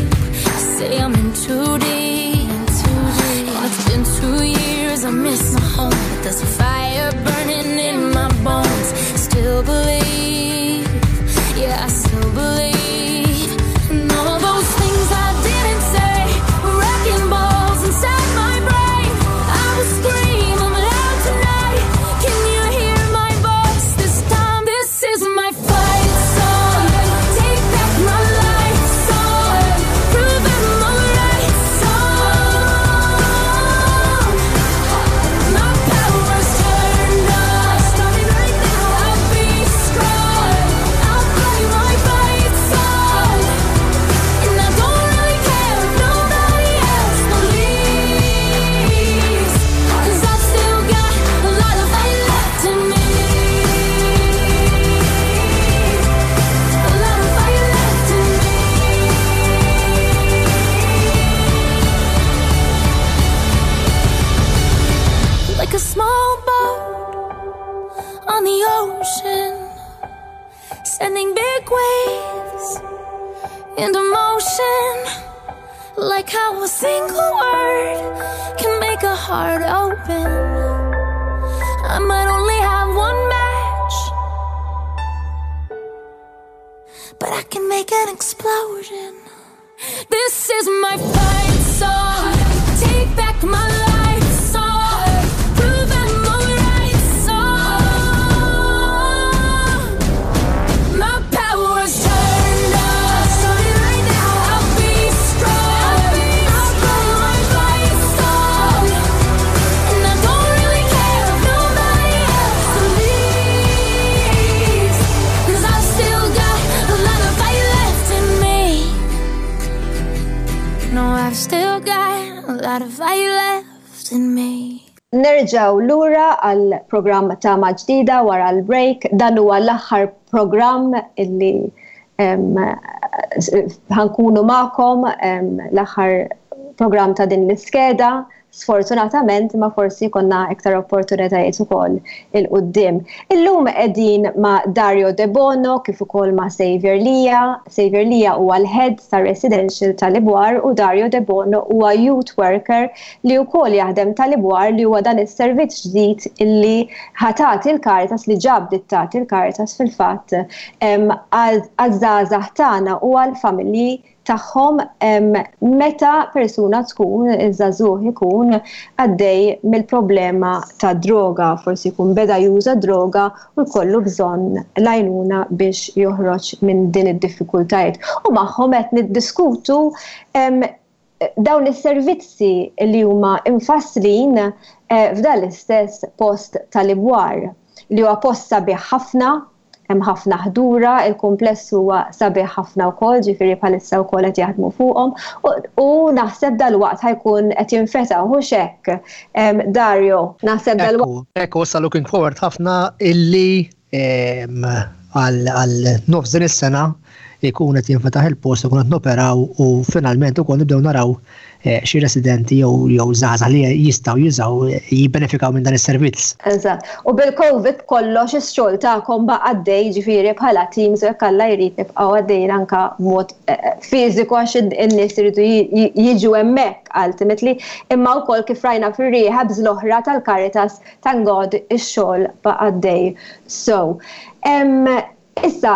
I say I'm in too deep. And it's been two years, I miss my home, but there's a fire burning in my bones. Still believe, yeah, I still believe. And all those things I didn't say were wrecking balls inside my brain. I will scream them loud tonight. Can you hear my voice this time? This is my fight song. Take back my life song. Prove I'm alright song. My power's turned on. Starting right now. I'll be strong. I'll play my fight song. And I don't really care if nobody else believes. 'Cause I've still got a lot of fight left in me. A lot of fight left in me. Like a small boat on the ocean, sending big waves into motion. Like how a single word can make a heart open. I might only have one match, but I can make an explosion. This is my fight song. Take back my life song. Prove I'm alright song. My power's turned on. Starting right now. I'll be strong. I'll play my fight song. And I don't really care if nobody else believes. 'Cause I've still got a lot of fight left in me. No, I've still got a lot of fight left in me. Nerġaw lura għal programm Tama Ġdida wara l-break. Dan huwa l-aħħar programm illi em, ħa nkunu magħkom, em, l-aħħar programm ta' din l-iskeda. Sfortunatament, ma forsi konna iktar opportunitajiet ukoll 'il quddiem. Illum qegħdin ma' Dario De Bono kif ukoll ma' Xavier Lia. Xavier Lia huwa l-head ta' residential tal-Ibwar u Dario De Bono huwa youth worker li wkoll jaħdem tal-Ibwar, li huwa dan is-servizz ġdid illi ħa tagħti il-Caritas, li ġab tagħti il-Caritas fil-fatt għaż-żgħażagħ tagħna u għall-familji tagħhom meta persuna tkun, iż-żagħżugħ ikun għaddej mill-problema ta' droga, forsi jkun beda juża droga u jkollu bżonn l-għajnuna biex joħroġ minn din id-diffikultajiet. U magħhom qed niddiskutu dawn is-servizzi li huma infasslin eh, f'dan l-istess post tal-Ibwar, li huwa post sabiħ ħafna, hemm ħafna ħdura, il-kumpless huwa sabiħ ħafna wkoll, ġifieri bħalissa wkoll qed jaħdmu fuqhom u naħseb dalwaqt ħa jkun qed jinfetaħ, hux hekk, Dario, naħseb dalwaqt. Ekku, issa looking forward ħafna illi għal nofs din is-sena jkun qed jinfetaħ il-post, ikun qed noperaw u finalment ukoll nibdew naraw eh, xi residenti jew jew żgħażagħ li jistgħu jużaw, jibbenefikaw minn dan is-servizz. Eżatt. U bil-COVID kollox ix-xogħol tagħkom baqa' għaddej, ġifieri bħala teams, u jekk Alla jrid nibqgħu għaddejjin anke b'mod eh, fiżiku, għax in-nies iridu jiġu hemmhekk ultimately, imma wkoll kif rajna fir-rehabs l-oħra tal-Caritas, thank God ix-xogħol baqa' għaddej. So, issa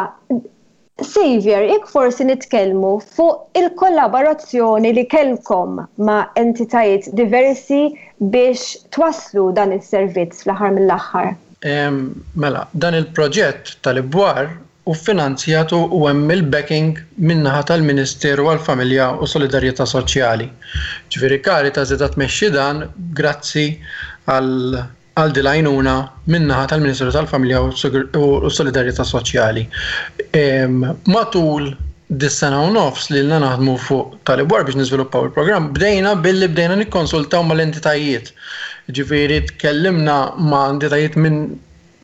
Xavier, jekk forsi nitkellmu fuq il-kollaborazzjoni li kellkom ma' entitajiet diversi biex twaslu dan is-servizz fl-aħħar mill-aħħar. Mela, dan il-proġett tal-Ibwar u finanzjatu u hemm il-backing min-naħa tal-Ministeru għall-Familja u Solidarjetà Soċjali. Ġifieri Caritas qed tmexxi dan grazzi għal għal dil-għajnuna min-naħa tal-Ministeru tal-Familja u Solidarjetà Soċjali. Matul dis-sena u nofs li ilna naħdmu fuq tal-Ibwar biex niżviluppaw il-programm, bdejna billi bdejna nikkonsultaw mal-entitajiet. Ġifieri tkellimna ma' entitajiet minn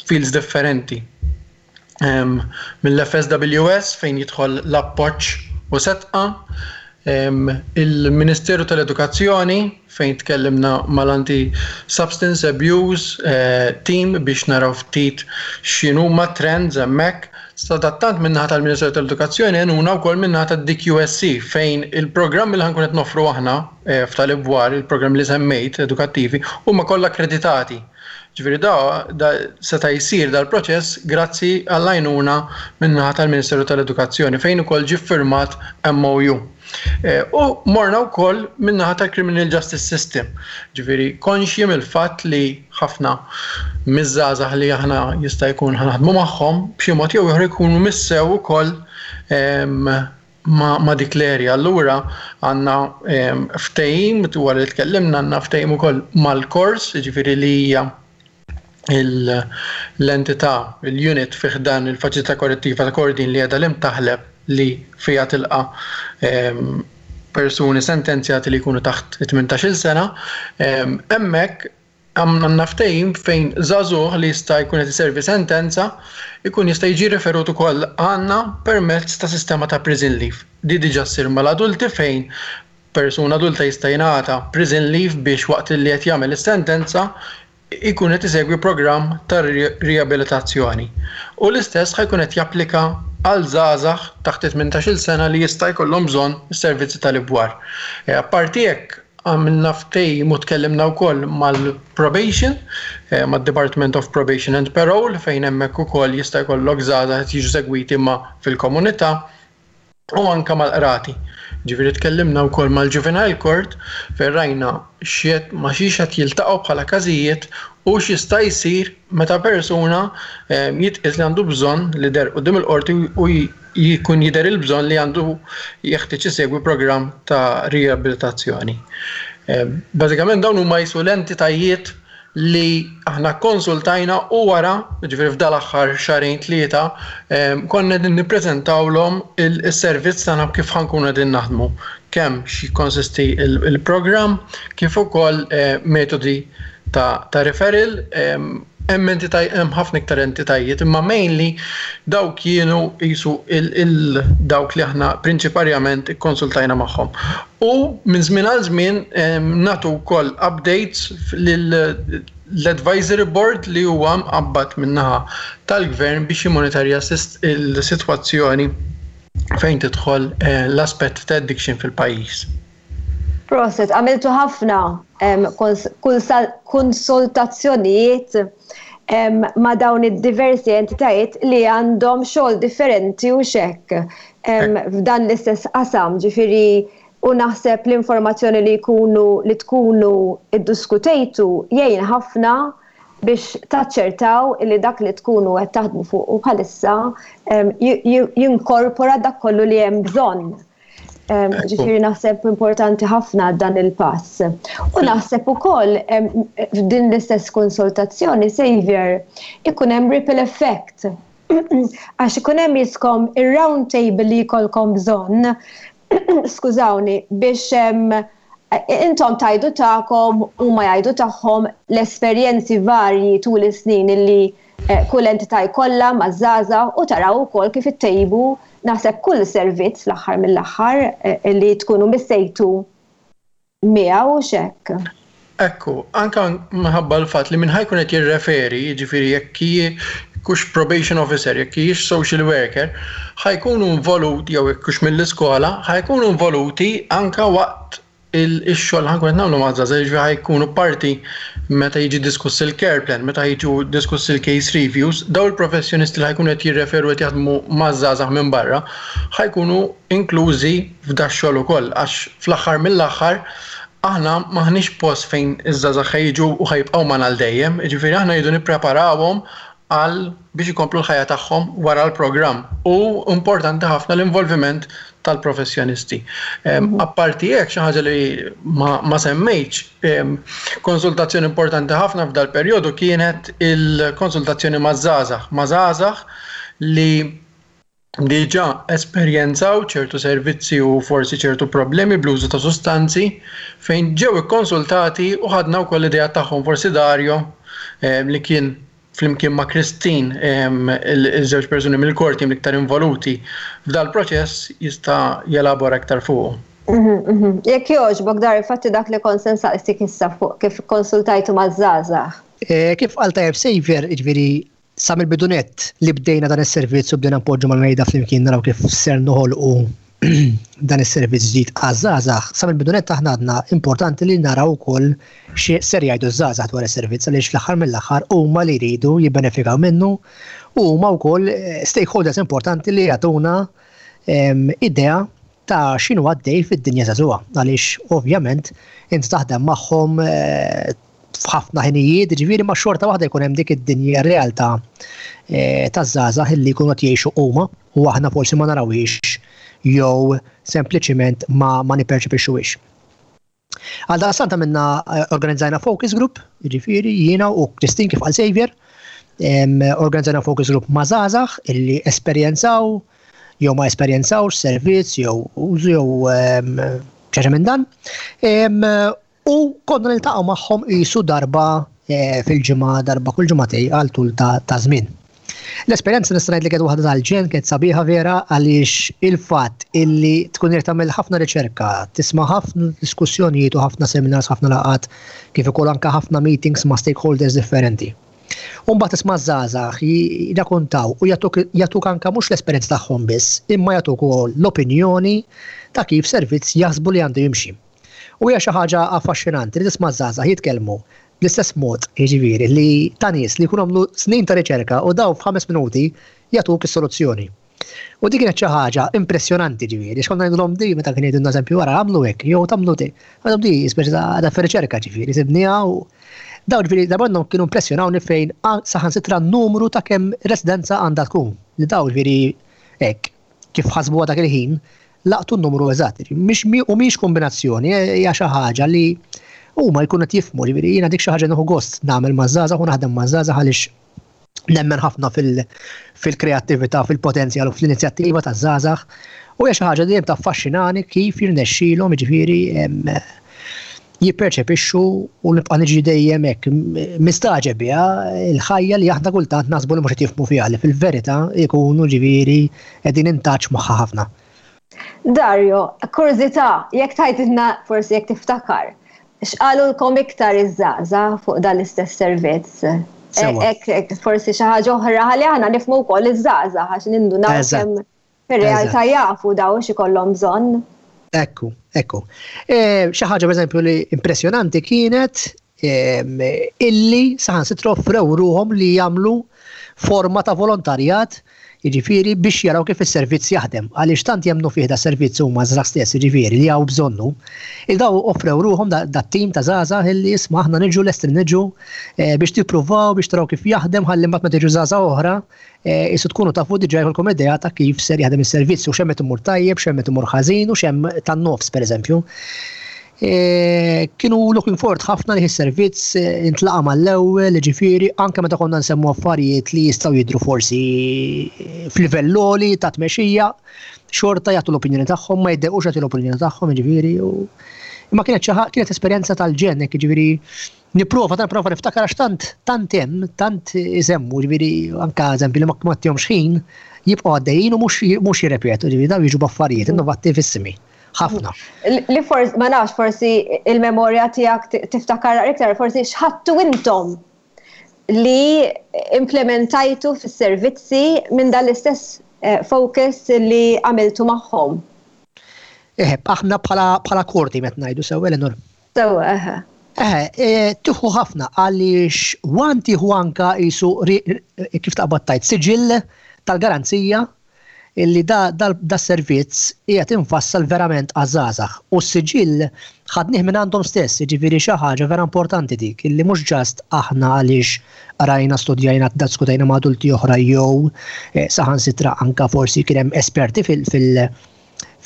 fields differenti. Mill-F S W S fejn jidħol l-appoġġ u Sedqa, Il-Ministeru tal-Edukazzjoni, fejn tkellimna mal-Anti Substance Abuse eh, Team biex naraw ftit x'inhuma trends hemmhekk. Sadattant, min-naħa tal-Ministeru tal-Edukazzjoni għenuna wkoll min-naħa tad-D Q S C, fejn il-programm li ħa nkunu qed noffru aħna eh, f'tal-ibwar, il-programm li semmejt edukattivi, huma kollha akkreditati. Ġifieri da, da seta' jsir dal-proċess grazzi għall-għajnuna min-naħa tal-Ministeru tal-Edukazzjoni, fejn ukoll ġie firmat M O U. Eh, u morna wkoll min-naħa tal-Criminal Justice System. Ġifieri konxji mill-fatt li ħafna miż-żgħażagħ li aħna jista' jkun ħa naħdmu magħhom b'xi mod jew ieħor ikunu missew ukoll ma, ma dik l-area. Allura għandna ftehim, dwar li tkellimna, għandna ftehim ukoll mal-kors, ġifieri li hija l-entità, il-unit fi ħdan il-faċilità korrettiva ta' Kordin li għadha l-Imtaħleb, li fija tilqa persuni sentenzjati li jkunu taħt tmintax-il sena. Hemmhekk għamna ftehim fejn żagħżugħ li jista' jkun qed iservi sentenza jkun jista' jiġi referut ukoll għandna permezz ta' sistema ta' prison leave. Di diġà ssir mal-adulti, fejn persuna adulta jista' jingħata prison leave biex waqt li qed jagħmel is-sentenza ikun qed isegwi programm ta' riabilitazzjoni. U l-istess ħa jkun qed japplika għal żgħażagħ taħt tmintax-il sena li jista' jkollhom bżonn is-servizzi tal-ibwar. E, apparti hekk, għamilna ftehim u tkellimna wkoll mal-probation, eh, mad-Department of Probation and Parole, fejn hemmhekk ukoll jista' jkollok żgħażagħ jiġu segwiti ma fil-komunità u anka mal-qrati. Ġifieri tkellimna wkoll mal-Juvenile Court, fejn rajna xiet ma xiex qed jiltaqgħu bħala każijiet u x'jista' jsir meta persuna eh, jitqis li għandu bżonn li deher quddiem il-qorti u jkun jidher il-bżonn li għandu jeħtieġ isegwi programm ta' riabilitazzjoni. Eh, bażikament dawn huma jisu l-entitajiet li aħna konsultajna u wara, ġifieri f'dal-aħħar xahrejn, tlieta, konna qegħdin nippreżentawlhom il-servizz tagħna, kif ħa nkunu qegħdin naħdmu, kemm x'jikkonsisti il-programm, kif ukoll eh, metodi ta', ta referral. Hemm entitaj, hemm ħafna iktar entitajiet, imma mainly dawk kienu jisu il dawk li aħna prinċiparjament ikkonsultajna magħhom. U minn żmien għal żmien nagħtu wkoll updates l-advisory board li huwa mqabbad min-naħa tal-gvern biex jimmonitorja il-sitwazzjoni fejn tidħol eh, l-aspett ta' addiction fil-pajjiż. Prosit, għamiltu ħafna konsultazzjonijiet ma' dawn id-diversi entitajiet li għandhom xogħol differenti u xek f'dan l-istess qasam, ġifieri u naħseb l-informazzjoni li jkunu li tkunu iddiskutejtu jgħin ħafna biex taċċertaw li dak li tkunu qed taħdmu fuq u bħalissa jinkorpora dak kollu li hemm bżonn. Ġifieri naħseb importanti ħafna dan il-pass. U naħseb ukoll f'din l-istess konsultazzjoni, Xavier, ikun hemm ripple effect. Għax ikun hemm jiskom ir-round table li jkollkom bżonn, skużawni, biex intom tgħidu tagħkom u ma jgħidu tagħhom, l-esperjenzi varji tul is-snin illi eh, kull entità jkollha maż-żgħażagħ, u taraw ukoll kif ittejbu, naħseb, kull servizz fl-aħħar mill-aħħar eh, li tkunu missejtu miegħu xek. Ekku, anka minħabba l-fatt li minn ħa jkun qed jirreferi, jiġifieri jekk kux probation officer, jekk hijiex social worker, ħa jkunu involuti, jew jekk hux mill-iskola, ħa jkunu involuti anka waqt il-xogħol ħa nkunu qed nagħmlu maż-żgħażagħ, ġifieri ħa jkunu parti meta jiġi diskuss il-care plan, meta jiġu diskuss il-case reviews, daw il-professjonisti li ħa jkunu qed jirreferu, qed jaħdmu maż-żgħażagħ minn barra, ħa jkunu inklużi f'da xogħol ukoll, għax fl-aħħar mill-aħħar aħna maħniex post fejn iż-żgħażagħ ħa jiġu u ħa jibqgħu magħna għal dejjem, ġifieri aħna jridu nippreparawhom għal biex ikomplu l-ħajja tagħhom wara l-programm. U importanti ħafna l-involviment tal-professjonisti. Apparti hekk, xi ħaġa li ma, ma semmejtx, konsultazzjoni importanti ħafna f'dal perjodu kienet il-konsultazzjoni ma' żgħażagħ, ma' żgħażagħ li diġà esperjenzaw ċertu servizzi u forsi ċertu problemi bl-użu ta' sustanzi, fejn ġew ikkonsultati u ħadna wkoll l-idea tagħhom. Forsi Dario, li kien flimkien ma' Christine, il-żewġ persuni mill-core team l-iktar involuti f'dal proċess, jista' jelabora iktar fuq. Mhm, mhm. Jekk jogħġbok dar infatti dak li kont se nsaqsik issa fuq kif konsultajtu maż-żgħażagħ. Eh, kif qal tajjeb Xavier, jiġifieri sa mill-bidu nett li bdejna dan is-servizz u bdejna npoġġu mal-mejda flimkien naraw kif ser noħolqu dan is-servizz ġdid għaż-żgħażagħ, sa mill-bidu nett aħna għadna importanti li naraw ukoll xi ser jgħidu ż-żgħażagħ dwar is-servizz għaliex fl-aħħar mill-aħħar huma li jridu jibbenefikaw minnu u huma wkoll eh, stakeholders importanti li jagħtuna ehm, idea ta' x'inhu għaddej fid-dinja żagħżugħa għaliex ovvjament int taħdem magħhom eh, f'ħafna ħinijiet, ġifieri ma xorta waħda jkun hemm dik id-dinja realtà eh, taż-żgħażagħ illi jkunu qed jgħixu huma u aħna forsi ma narawhiex jew sempliċiment ma, ma nipperċepixxuhiex. Għal daqstant minna eh, organizzajna focus group, ġifieri jiena u Christine kif qal Xavier, organizzajna focus group ma' żgħażagħ illi esperjenzaw jew ma esperjenzawx servizz jew użu jew ċaġa minn dan. U konna niltaqgħu magħhom qisu darba eh, fil-ġimgħa, darba kull ġimgħatej għal tul ta' żmien. L-esperjenza nista' ngħid li kienet waħda tal-ġenn kienet sabiħa vera għaliex il-fatt illi tkun irid tagħmel ħafna riċerka, tisma' ħafna diskussjonijiet u ħafna seminars, ħafna laqgħat, kif ukoll anke ħafna meetings ma' stakeholders differenti. U mbagħad tisma' żgħażagħ jirrakkontaw u jagħtuk anke mhux l-esperjenza tagħhom biss, imma jagħtuk ukoll l-opinjoni ta' kif servizz jaħsbu li għandu jimxi. U hija xi ħaġa affaxxinanti li tisma' żgħażagħ jitkellmu bl-istess mod, jiġifieri li ta' nies li jkunu għamlu snin ta' riċerka u daw f'ħames minuti jagħtuk is-soluzzjoni. U dik kienet xi ħaġa impressjonanti ġifieri, x'konna ngħidulhom di meta kien jgħidulna eżempju wara għamlu hekk jew tagħmlu di. Għadhom di speċi ta' riċerka ġifieri, sibniha u daw ġifieri darba kienu impressjonawni fejn saħansitra n-numru ta' kemm residenza għandha tkun. Li daw ġifieri hekk kif ħasbuha dak il-ħin laqtu n-numru eżatt. Mhix u mhix kombinazzjoni, hija xi ħaġa li huma jkunu qed jifhmu, ġifieri jiena dik xi ħaġa nieħu gost nagħmel maż-żgħażagħ u naħdem maż-żgħażagħ għaliex nemmen ħafna fil-kreattività, fil-potenzjal u fl-inizjattiva taż-żgħażagħ. U hija xi ħaġa dejjem taffaxxinani kif jirnexxilhom jiġifieri jipperċepixxu u nibqa' niġi dejjem hekk mistaġeb biha il-ħajja li aħna kultant naħsbu li mhux qed jifhmu fiha li fil-verità jkunu ġifieri qegħdin in touch magħha ħafna. Dario, kurżità, jekk tgħidilna forsi jekk tiftakar, x'qalulkom iktar iż-żgħażagħ fuq dan l-istess servizz? Ek, forsi xi ħaġa oħra ħalli aħna nifhmu wkoll iż-żgħażagħ għax nindunaw kemm fir-realtà jafu daw x'ikollhom bżonn. Ekku, ekku. E, xi ħaġa pereżempju li impressjonanti kienet illi saħansitra offrew ruhom li jagħmlu forma ta' volontarjat jiġifieri biex jaraw kif is-servizz jaħdem. Għaliex tant jemmnu fih da servizz huma żgħażagħ stess jiġifieri li hawn bżonnu. Il daw offrew ruhom da tim ta' żgħażagħ illi isma' aħna niġu lesti niġu eh, biex tippruvaw biex taraw kif jaħdem ħalli mbagħad meta tiġu żgħażagħ oħra eh, isu tkunu tafu diġà jkollkom idea ta' kif ser jaħdem is-servizz u x'hemm qed imur tajjeb, x'hemm qed imur ħażin u x'hemm tan-nofs pereżempju. E, kienu looking forward ħafna li s-servizz intlaqa mal-ewwel, ġifieri anke meta konna nsemmu affarijiet li jistgħu jidru forsi f'livell għoli ta' tmexxija, xorta jagħtu l-opinjoni tagħhom, ma jiddejqux jagħtu l-opinjoni tagħhom, ġifieri u imma kienet xi kienet esperjenza tal-ġenn, hekk ġifieri nipprova tant nipprova niftakar għax tant tant hemm, tant isemmu, ġifieri anke eżempju li ma tihomx ħin jibqgħu għaddejjin u mhux mhux jirrepetu, ġifieri daw jiġu b'affarijiet innovattivissimi. Ħafna. Li forsi, ma nafx, forsi il-memorja tiegħek tiftakar iktar, forsi x'ħadtu intom li implementajtu fis-servizzi minn dan l-istess eh, focus li għamiltu magħhom. Eħe, aħna bħala bħala korti met ngħidu sew Eleanor. Sew, eħe. Eħe, e, tieħu ħafna għaliex wan tieħu anka jisu kif taqbad tajt siġill tal-garanzija illi da, da, da servizz qiegħed infassal verament għaż-żgħażagħ u s-siġill ħadnih minn għandhom stess, jiġifieri xi ħaġa vera importanti dik, illi mhux just aħna għaliex rajna studjajna diskutajna ma' adulti oħra jew eh, saħansitra anka forsi kien hemm esperti fil- fil-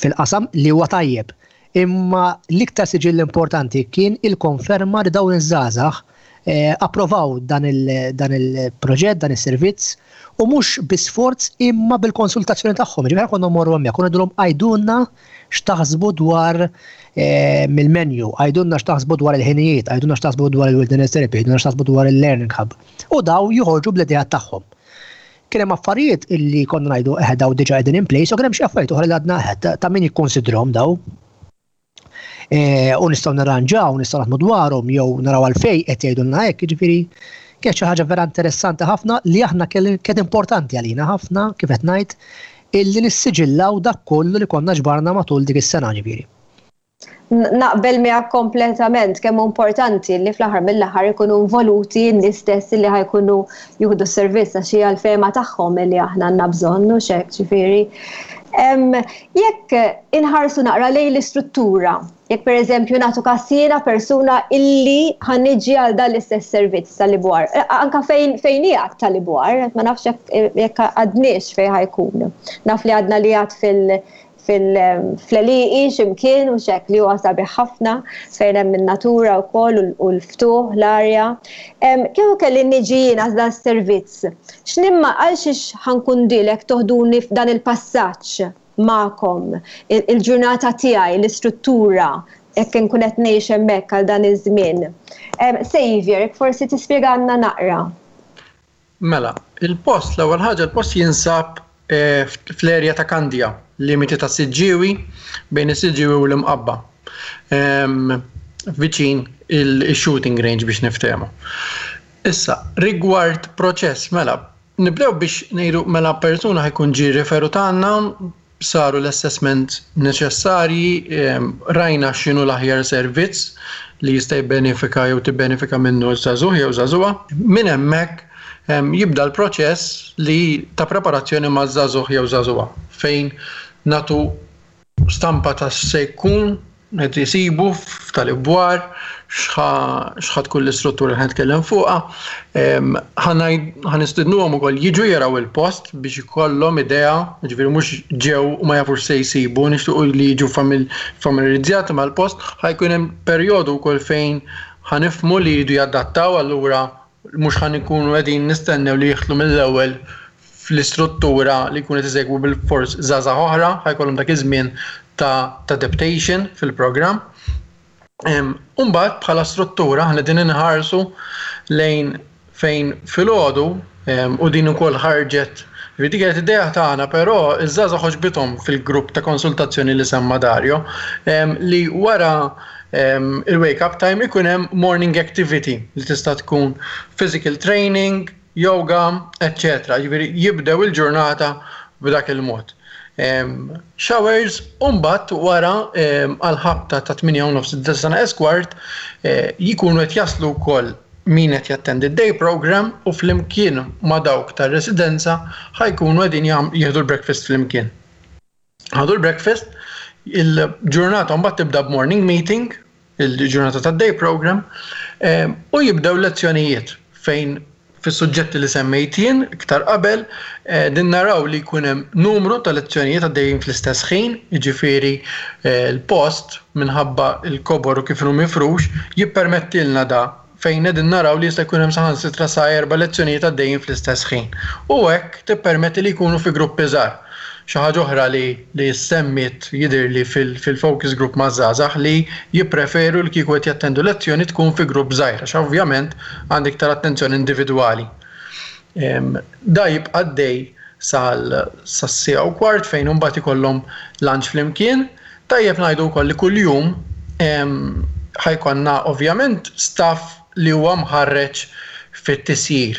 fil-qasam li huwa tajjeb. Imma l-iktar siġill importanti kien il-konferma li dawn iż-żgħażagħ eh, approvaw dan il-proġett, dan is-servizz u mhux bi sforz imma bil-konsultazzjoni tagħhom. Ġifieri konna mmorru hemmhekk, konna ngħidulhom għidulna x'taħsbu dwar eh, mill-menu, għidulna x'taħsbu dwar il-ħinijiet, għidulna x'taħsbu dwar il-wilderness therapy, għidulna x'taħsbu dwar il-learning hub. U daw joħorġu bl-idea tagħhom. Kien hemm affarijiet illi konna ngħidu eħe daw diġà qegħdin in place u kien hemm xi affarijiet oħra li għadna eħe ta' min jikkonsidrhom daw. Eh, u nistgħu nirranġaw, nistgħu naħdmu dwarhom jew naraw għalfejn qed jgħidulna hekk, jiġifieri kienet xi ħaġa vera interessanti ħafna li aħna kienet importanti għalina ħafna, kif qed ngħid, illi nissiġillaw dak kollu li konna ġbarna matul dik is-sena, ġifieri. Naqbel miegħek kompletament kemm importanti li fl-aħħar mill-aħħar ikunu involuti n-nies stess li ħa jkunu jieħdu s-servizz, għax hija l-fehma tagħhom li aħna għandna bżonn u hekk, ġifieri. Jekk inħarsu naqra lejn l-istruttura, jekk per eżempju nagħtu każ jiena persuna illi ħa niġi għal dan l-istess servizz tal-Ibwar, anka fejn fejn qiegħed tal-Ibwar, ma nafx jekk għadniex fejn ħa jkun. Naf li għadna li għad fil- fil-għelieqi x'imkien u hekk, li huwa sabiħ ħafna fejn hemm in-natura wkoll u l-ftuħ, l-arja. Kieku kelli niġi jiena dan servizz, x'nimma għal xiex ħa nkun dilek toħduni f'dan il-passaġġ magħkom, il-ġurnata tiegħi, l-istruttura, jekk nkun qed ngħix hemmhekk għal dan iż-żmien? Xavier, forsi tispjegana naqra. Mela, il-post, l-ewwel ħaġa, il-post jinsab eh, fl-erja ta' Kandja, limiti ta' Siġġiewi, bejn is-Siġġiewi u l-Imqabba. Viċin il-shooting range, biex niftehmu. Issa, rigward proċess, mela, nibdew biex ngħidu, mela, persuna ħa jkun ġie referut għandna, saru l-assessment neċessarji, rajna x'inhu l-aħjar servizz li jista' jibbenefika jew tibbenefika minnu żagħżugħ jew żagħżugħa. Minn hemmhekk jibda l-proċess li ta' preparazzjoni ma' żagħżugħ jew żagħżugħa, fejn nagħtu stampa ta' se jkun qed jisibu f'tal-Ibwar, x'ħa tkun l-istruttura li ħa nitkellem fuqha. Ħa nistidnuhom ukoll jiġu jaraw il-post biex ikollhom idea, ġifieri mhux ġew u ma jafux se jsibu, nixtiequ li jiġu familiarizzati mal-post. Ħa jkun hemm perjodu wkoll fejn ħa nifhmu li jridu jadattaw, allura mhux ħa nkunu qegħdin nistennew li jidħlu mill-ewwel fl-istruttura li jkunu qed isegwu bil-fors żgħażagħ oħra, ħa jkollhom dak iż-żmien ta' adaptation fil-programm. Umbagħad bħala struttura ħna din inħarsu lejn fejn filgħodu, u din ukoll ħarġet. Dik kienet idea tagħna, però iż-żgħażagħ għoġbithom fil-grupp ta' konsultazzjoni li semma Dario, li wara il-wake up time ikun hemm morning activity li tista' tkun physical training, yoga, eccetera. Ġifieri jibdew il-ġurnata b'dak il-mod. Showers, umbagħad wara għal-ħabta ta' tmienja u nofs, disa kwart, eh, jikunu qed jaslu wkoll min qed jattendi day program u flimkien ma' dawk tar-residenza ħa jkunu qegħdin jieħdu l-breakfast flimkien. Ħadu l-breakfast, il-ġurnata mbagħad tibda b'morning meeting, il-ġurnata tad day program, u jibdew lezzjonijiet fejn fis-suġġetti li semmejt jien iktar qabel, eh, din naraw li jkun hemm numru ta' lezzjonijiet għaddejjin fl-istess ħin, jiġifieri eh, l-post, minħabba il-kobor u kif inhu mifrux, jippermettilna da fejn qegħdin naraw li jista' jkun hemm saħansitra sa erba' lezzjonijiet għaddejjin fl-istess ħin. U hekk tippermetti li jkunu fi gruppi żgħar. Xi ħaġa oħra li li semmit jidhirli fil-focus group ma' żgħażagħ li jippreferu li kieku qed jattendu lezzjoni tkun fi grupp żgħir, għax ovvjament għandek iktar attenzjoni individwali. Da jibqa' għaddej sas-siegħa u kwart, fejn imbagħad ikollhom lunch flimkien. Tajjeb ngħidu wkoll li kuljum ħa jkollna ovvjament staff li huwa mħarreġ fit-tisjir.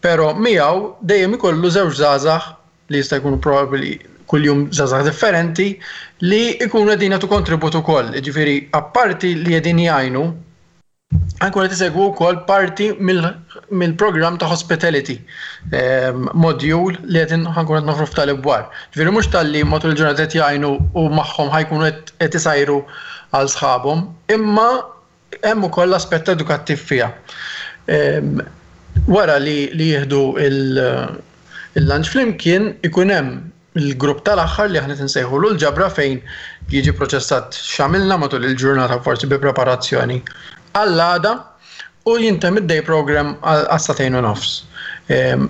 Però miegħu dejjem ikollu żewġ żgħażagħ li jista' jkunu probabbli kuljum żgħażagħ differenti li jkunu qegħdin jagħtu kontribut ukoll. Ġifieri apparti li qegħdin jgħinu, ħa jkunu qed isegwu wkoll parti mill-programm ta' hospitality module li qegħdin ħa nkunu qed noffru f'tal-Ibwar. Ġifieri mhux talli matul il-ġurnata qed jgħinu u magħhom ħa jkunu qed isajru għal sħabhom, imma hemm ukoll l-aspett edukattiv fiha. Wara li li jieħdu il-lunch flimkien, ikun hemm il-grupp tal-aħħar li aħna nsejħu l-ġabra, fejn jiġi proċessat x'għamilna matul il-ġurnata, forsi bi preparazzjoni għall-għada, u jintemm id-day program għas-sagħtejn u nofs.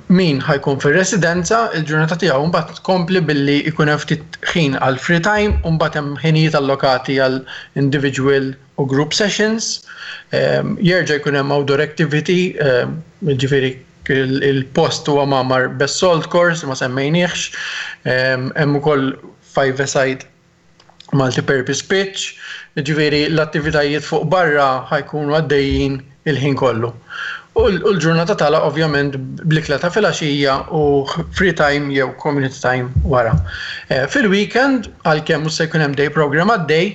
Min ħa jkun fil-residenza, il-ġurnata tiegħu mbagħad tkompli billi jkun hemm ftit ħin għal free time u mbagħad hemm ħinijiet allokati għal individual u group sessions. Jerġa' jkun hemm outdoor activity, ġifieri il-post huwa mgħammar b'assault course, ma semmejniex, hemm ukoll five-a-side Multi-purpose pitch, ġifieri l-attivitajiet fuq barra ħa jkunu għaddejjin il-ħin kollu. U l-ġurnata tagħlaq ovvjament bl-ikla ta' filgħaxija u free time jew community time wara. Eh, fil-weekend, għalkemm mhux se jkun hemm day program għaddej,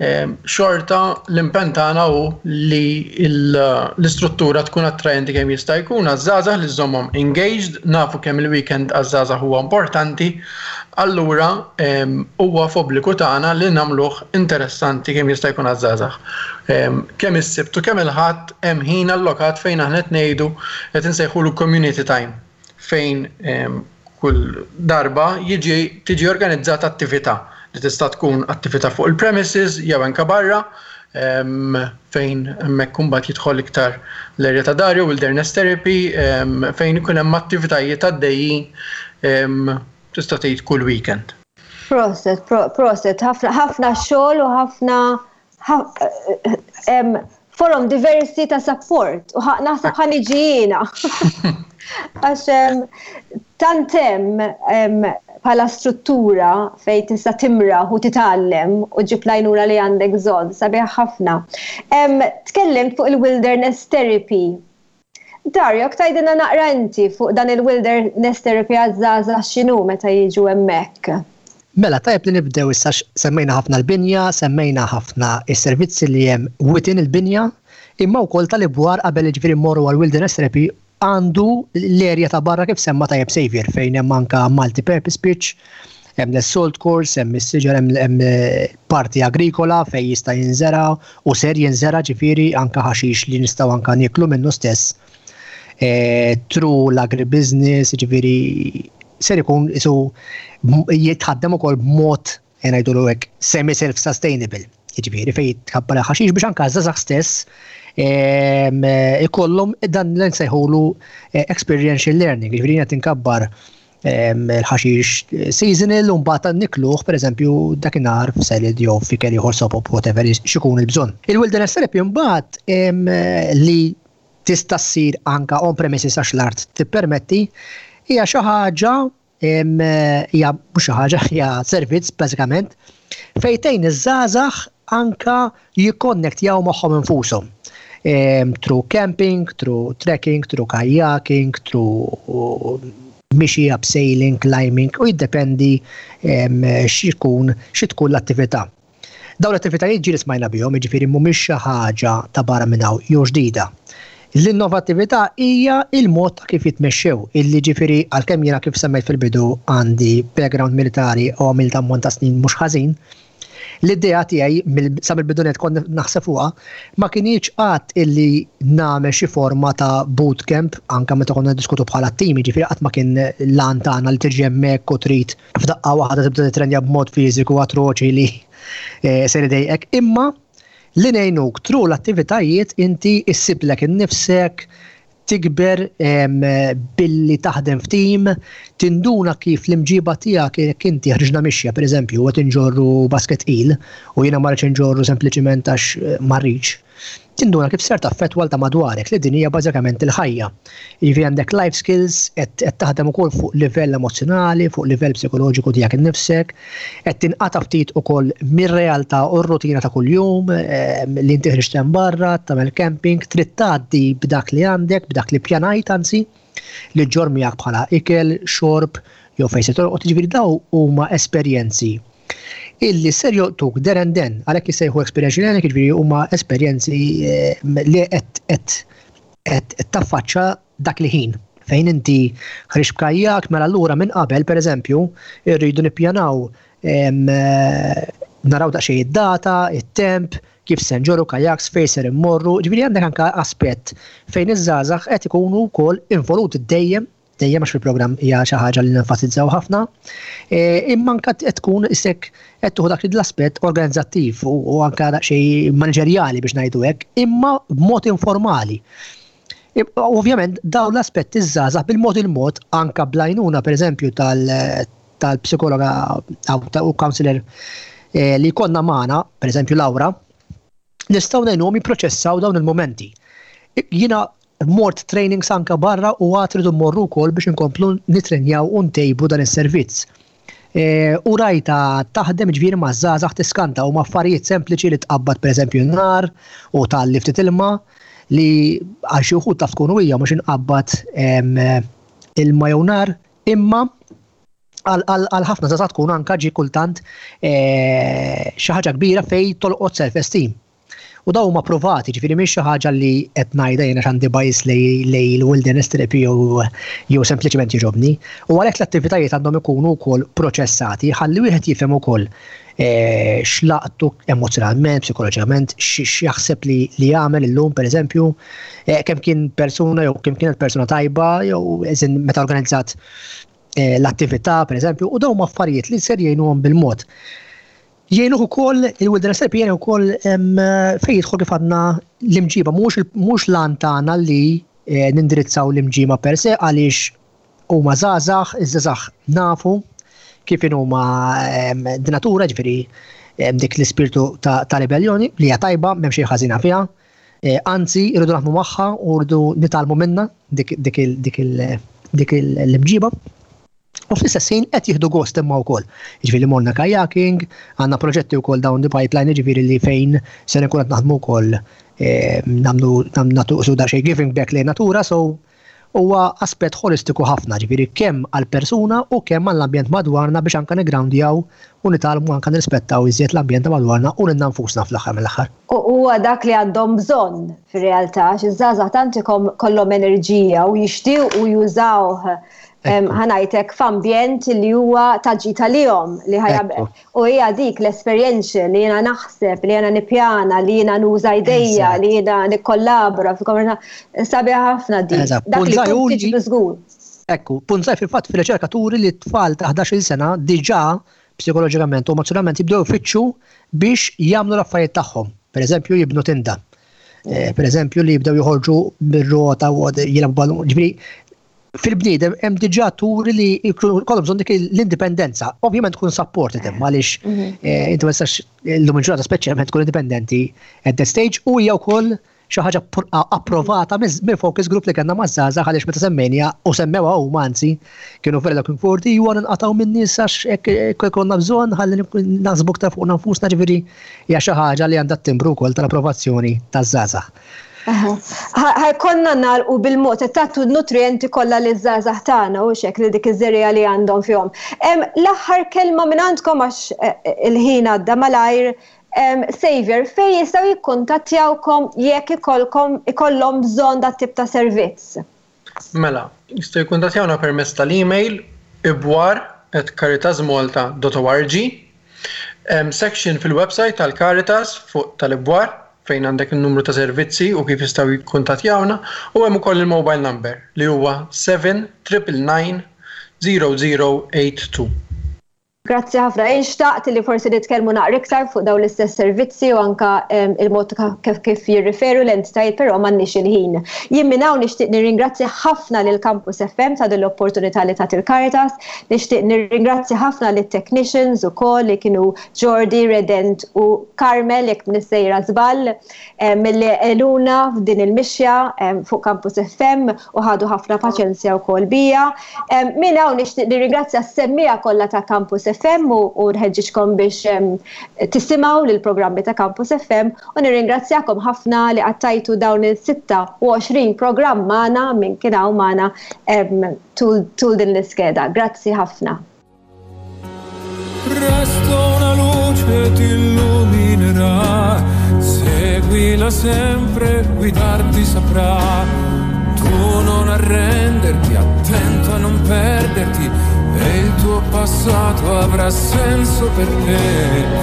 eh, xorta l-impenn tagħna hu li l-istruttura tkun attraenti kemm jista' jkun għaż-żgħażagħ, li żommhom engaged. Nafu kemm il-weekend għaż-żgħażagħ huwa importanti, allura huwa f'obbligu tagħna li nagħmluh interessanti kemm jista' jkun għaż-żgħażagħ. Kemm is-Sibt u kemm il-Ħadd hemm ħin allokat fejn aħna qed ngħidu, qed insejħulu community time, fejn kull darba jiġi tiġi organizzata attività li tista' tkun attività fuq il-premises jew anke barra, fejn hemmhekk imbagħad jidħol iktar l-area ta' Dario, wilderness therapy, fejn ikun hemm attivitajiet għaddejjin, tista' tgħid, kull weekend. Proset, proset, ħafna xogħol u ħafna forom diversi ta' support u naħseb ħa niġi jiena. Għax tant hemm bħala struttura fej tista' timra u titgħallem u ġib l-għajnuna li għandek bżonn, sabiħ ħafna. Tkellimt fuq il-wilderness therapy. Dario, tgħidilna naqra inti fuq dan il-wilderness therapy għaż-żgħażagħ, x'inhu meta jiġu hemmhekk? Mela, tajb li nibdew issa, semmejna ħafna l-binja, semmejna ħafna is-servizzi li hemm within il-binja, imma wkoll tal-ibwar qabel, ġifieri mmorru għal wilderness therapy, għandu l-erja ta' barra, kif semma tajjeb Xavier, fejn hemm anka multi-purpose pitch, hemm l-assault course, hemm is-siġar, hemm parti agrikola fejn jista' jinżera u ser jinżera, ġifieri anka ħaxix li nistgħu anka nieklu minnu stess. E, through l-agribusiness, ġifieri ser ikun isu jitħaddem ukoll b'mod, ngħidulu hekk, semi self-sustainable. Jiġifieri fejn tkabbar ħaxix biex anka żgħażagħ stess ikollhom dan l nsejħulu eh, experiential learning, jiġifieri qed inkabbar il-ħaxix seasonal u mbagħad nikluh, pereżempju, dakinhar f'salad jew f'ikel ieħor, sopop, whatever x'ikun il-bżonn. Il-wilderness therapy mbagħad li tista' ssir anka on premises għax l-art tippermetti, hija xi ħaġa, hija mhux xi ħaġa, hija servizz bażikament fejn tgħin iż-żgħażagħ anka jikkonnektjaw magħhom infushom. Through camping, through trekking, through kayaking, through mixi, abseiling, climbing, u jiddependi x'ikun xi tkun l-attività. Dawn l-attivitajiet ġieli smajna bihom, jiġifieri mhumiex xi ħaġa ta' barra minn hawn jew ġdida. L-innovattività hija il-mod ta' kif jitmexxew, illi ġifieri għalkemm jiena, kif semmejt fil-bidu, għandi background militari u għamilt ammont ta' snin mhux ħażin, l-idea tiegħi sa mill-bidu nett kont naħseb fuqha ma kinitx qatt illi nagħmel xi forma ta' bootcamp, anke meta konna niddiskutu bħala tim, ġifieri qatt ma kien l-għan tagħna li tiġi hemmhekk u trid f'daqqa waħda tibda titrenja b'mod fiżiku atroċi li eh, ser idejqek, imma li ngħinuk through l-attivitajiet inti issiblek innifsek, tikber billi taħdem f'tim, tinduna kif l-imġiba tiegħek, jekk inti ħriġna mixja, pereżempju, u qed inġorru basket il u jiena ma rridx inġorru sempliċiment għax eh, ma rridx. Tinduna kif ser taffettwa ta' madwarek, li din hija bażikament il-ħajja. Jiġifieri għandek life skills, qed taħdem ukoll fuq livell emozjonali, fuq livell psikoloġiku tiegħek innifsek, qed tinqata' ftit ukoll mir-realtà u r-rutina ta' kuljum, li inti ħriġt barra, tagħmel camping, trid tgħaddi b'dak li għandek, b'dak li pjanajt anzi, li ġġorr miegħek bħala ikel, xorb, jew fejn se torqod, jiġifieri daw huma esperjenzi illi ser jolqtuk there and then, għalhekk jissejħu experiential learning, jiġifieri huma esperjenzi eh, li qed taffaċċa dak li ħin fejn inti ħriġt b'kajak, mela allura minn qabel, pereżempju, irridu nippjanaw, eh, naraw daqsxejn id-data, it-temp, kif se nġorru kajaks, fejn ser immorru, ġifieri għandek anka aspett fejn iż-żgħażagħ qed ikunu wkoll involuti dejjem dejjem, għax fil-programm hija xi ħaġa li nenfasizzaw ħafna, e, imma anka qed tkun isek qed tieħu dak l-aspett organizzattiv u anka daqsxejn maniġerjali biex ngħidu hekk, imma b'mod informali. Ovvjament dawn l-aspetti żgħażagħ bil-mod il-mod, anka bl-għajnuna, pereżempju, tal-psikologa u counselor e, li konna magħna, pereżempju Laura, nistgħu ngħinuhom jipproċessaw dawn il-momenti. Jiena mort trainings anka barra u għad rridu mmorru wkoll biex inkomplu nitrenjaw u ntejbu dan is-servizz. U rajta taħdem ġifieri ma' żgħażagħ tiskanta u ma' affarijiet sempliċi li tqabbad pereżempju nar u tgħalli ftit ilma li għal xi wħud taf tkun hija mhux inqabbad ilma jew nar, imma għal ħafna żgħażagħ tkun anka ġi kultant xi ħaġa kbira fejn tolqot self-esteem. U daw huma provati, ġifieri mhix xi ħaġa li qed ngħidha jiena għandi bias lej il-wilderness therapy jew jew sempliċement jogħġobni. U għalhekk l-attivitajiet għandhom ikunu wkoll proċessati ħalli wieħed jifhem ukoll x'laqtu emozjonalment, psikoloġikament, x'jaħseb li li jagħmel illum pereżempju, kemm kien persuna jew kemm kienet persuna tajba jew eżin meta organizzat l-attività pereżempju, u dawn huma affarijiet li ser jgħinuhom bil-mod. Jgħinuh ukoll il-wilderness therapy jgħinu wkoll fejn jidħol kif għandna l-imġiba, mhux lan tagħna li nindirizzaw l-imġiba per se għaliex huma żgħażagħ, iż-żgħażagħ nafu kif huma di natura, ġifieri dik l-ispirtu ta' ribellioni li hija tajba, m'hemm xejn ħażina fiha. Anzi, irridu naħdmu magħha u rridu nitgħallmu minnha dik l-imġiba. U fl-istess ħin qed jieħdu gost imma wkoll. Jiġifieri morna kayaking, għandna proġetti wkoll down the pipeline, jiġifieri li fejn se nkun qed naħdmu wkoll nagħmlu nagħtu su xejn giving back lejn natura, so huwa aspett holistiku ħafna, ġifieri kemm għall-persuna u kemm għall-ambjent madwarna biex anke nigroundjaw u nitgħallmu anke nirrispettaw iżjed l-ambjent madwarna u lilna nfusna fl-aħħar mill-aħħar. U huwa dak li għandhom bżonn fir-realtà, għax iż-żgħażagħ tant ikollhom enerġija u jixtiequ jużawh ħa ngħidlek f'ambjent li huwa ta' ġid għalihom li ħajab. U hija dik l-esperjenza li jiena naħseb, li jiena nippjana, li jiena nuża idejja, li jiena nikkollabora fil-komunità. Sabiħa ħafna dik. Dak li tkun tiġi żgur. Ekku, punt żgħir fil-fatt fil-riċerka turi li t-tfal ta' ħdax-il sena diġà psikoloġikament u emozjonalment jibdew ifittxu biex jagħmlu l-affarijiet tagħhom. Per eżempju, jibnu tinda. Per eżempju, li jibdew joħorġu bir-rota u jilagħbu ballun. Ġifieri, fil-bniedem hemm diġà turi li jkollhom bżonn dik l-indipendenza. Ovvjament tkun supported hemm għaliex inti ma tistax illum il-ġurnata speċjalment tkun indipendenti at that stage, u hija wkoll xi ħaġa approvata mill focus group li kellna maż-żgħażagħ, għaliex meta semmejna u semmewha huma, anzi kienu very looking forward ju nqatgħu min-nies għax hekk ikollna bżonn ħalli naħsbu aktar fuq nfusna, ġifieri hija xi ħaġa li għandha timbru wkoll tal-approvazzjoni taż-żgħażagħ. Ħa jkollna nagħlqu bil-mod, tagħtu n-nutrienti kollha liż-żgħażagħ tagħna u xek li dik iż-żerriegħa li għandhom fihom. L-aħħar kelma minn għandkom għax il-ħin għadda malajr. Xavier, fejn jistgħu jikkuntattjawkom jekk ikollkom ikollhom bżonn dat tip ta' servizz? Mela, jistgħu jikkuntattjawna permezz tal-email ibwar at caritasmalta dot org, section fil-website tal-Caritas fuq tal-ibwar fejn għandek il-numru ta' servizzi u kif jistgħu jikkuntattjawna, u hemm ukoll il-mobile number li huwa seven triple nine zero zero eight two. Grazzi ħafna. Inxtaqt li forsi nitkellmu naqra iktar fuq dawn l-istess servizzi u anka il-mod kif, kif jirriferu l-entitajiet, però m'għandniex il-ħin. Jien minn hawn nixtieq nirringrazzja ħafna lil Campus F M ta' din l-opportunità li tat il-Caritas, nixtieq nirringrazzja ħafna lit technicians ukoll li kienu Jordi, Redent u Carmel, jekk nissejra żball, milli għenuna f'din il-mixja fuq Campus F M u ħadu ħafna paċenzja wkoll bija. Minn hawn nixtieq nirringrazzja s-semmija kollha ta' Campus F M u, u nħeġġiġkom biex, em, tisimgħu lill-programmi ta' Campus F M, u nirringrazzjakom ħafna li qattajtu dawn il-sitta u għoxrin programm magħna minn kien hawn magħna, em, tul, tul din l-iskeda. Grazzi ħafna. Presto una luce ti illuminerà, seguila sempre, guidarti saprà. Tu non arrenderti, attento a non perderti, e il tuo passato avrà senso per te.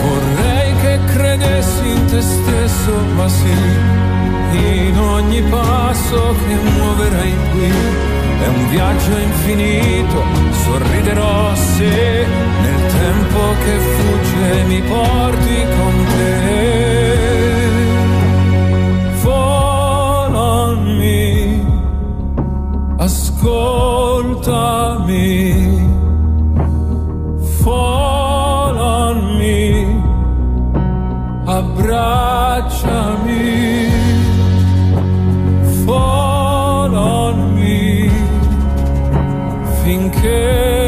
Vorrei che credessi in te stesso, ma sì, in ogni passo che muoverai qui è un viaggio infinito, sorriderò se nel tempo che fugge mi porti con te. Fall on me, ascoltami, fall on me, abbracciami, fall on me, finché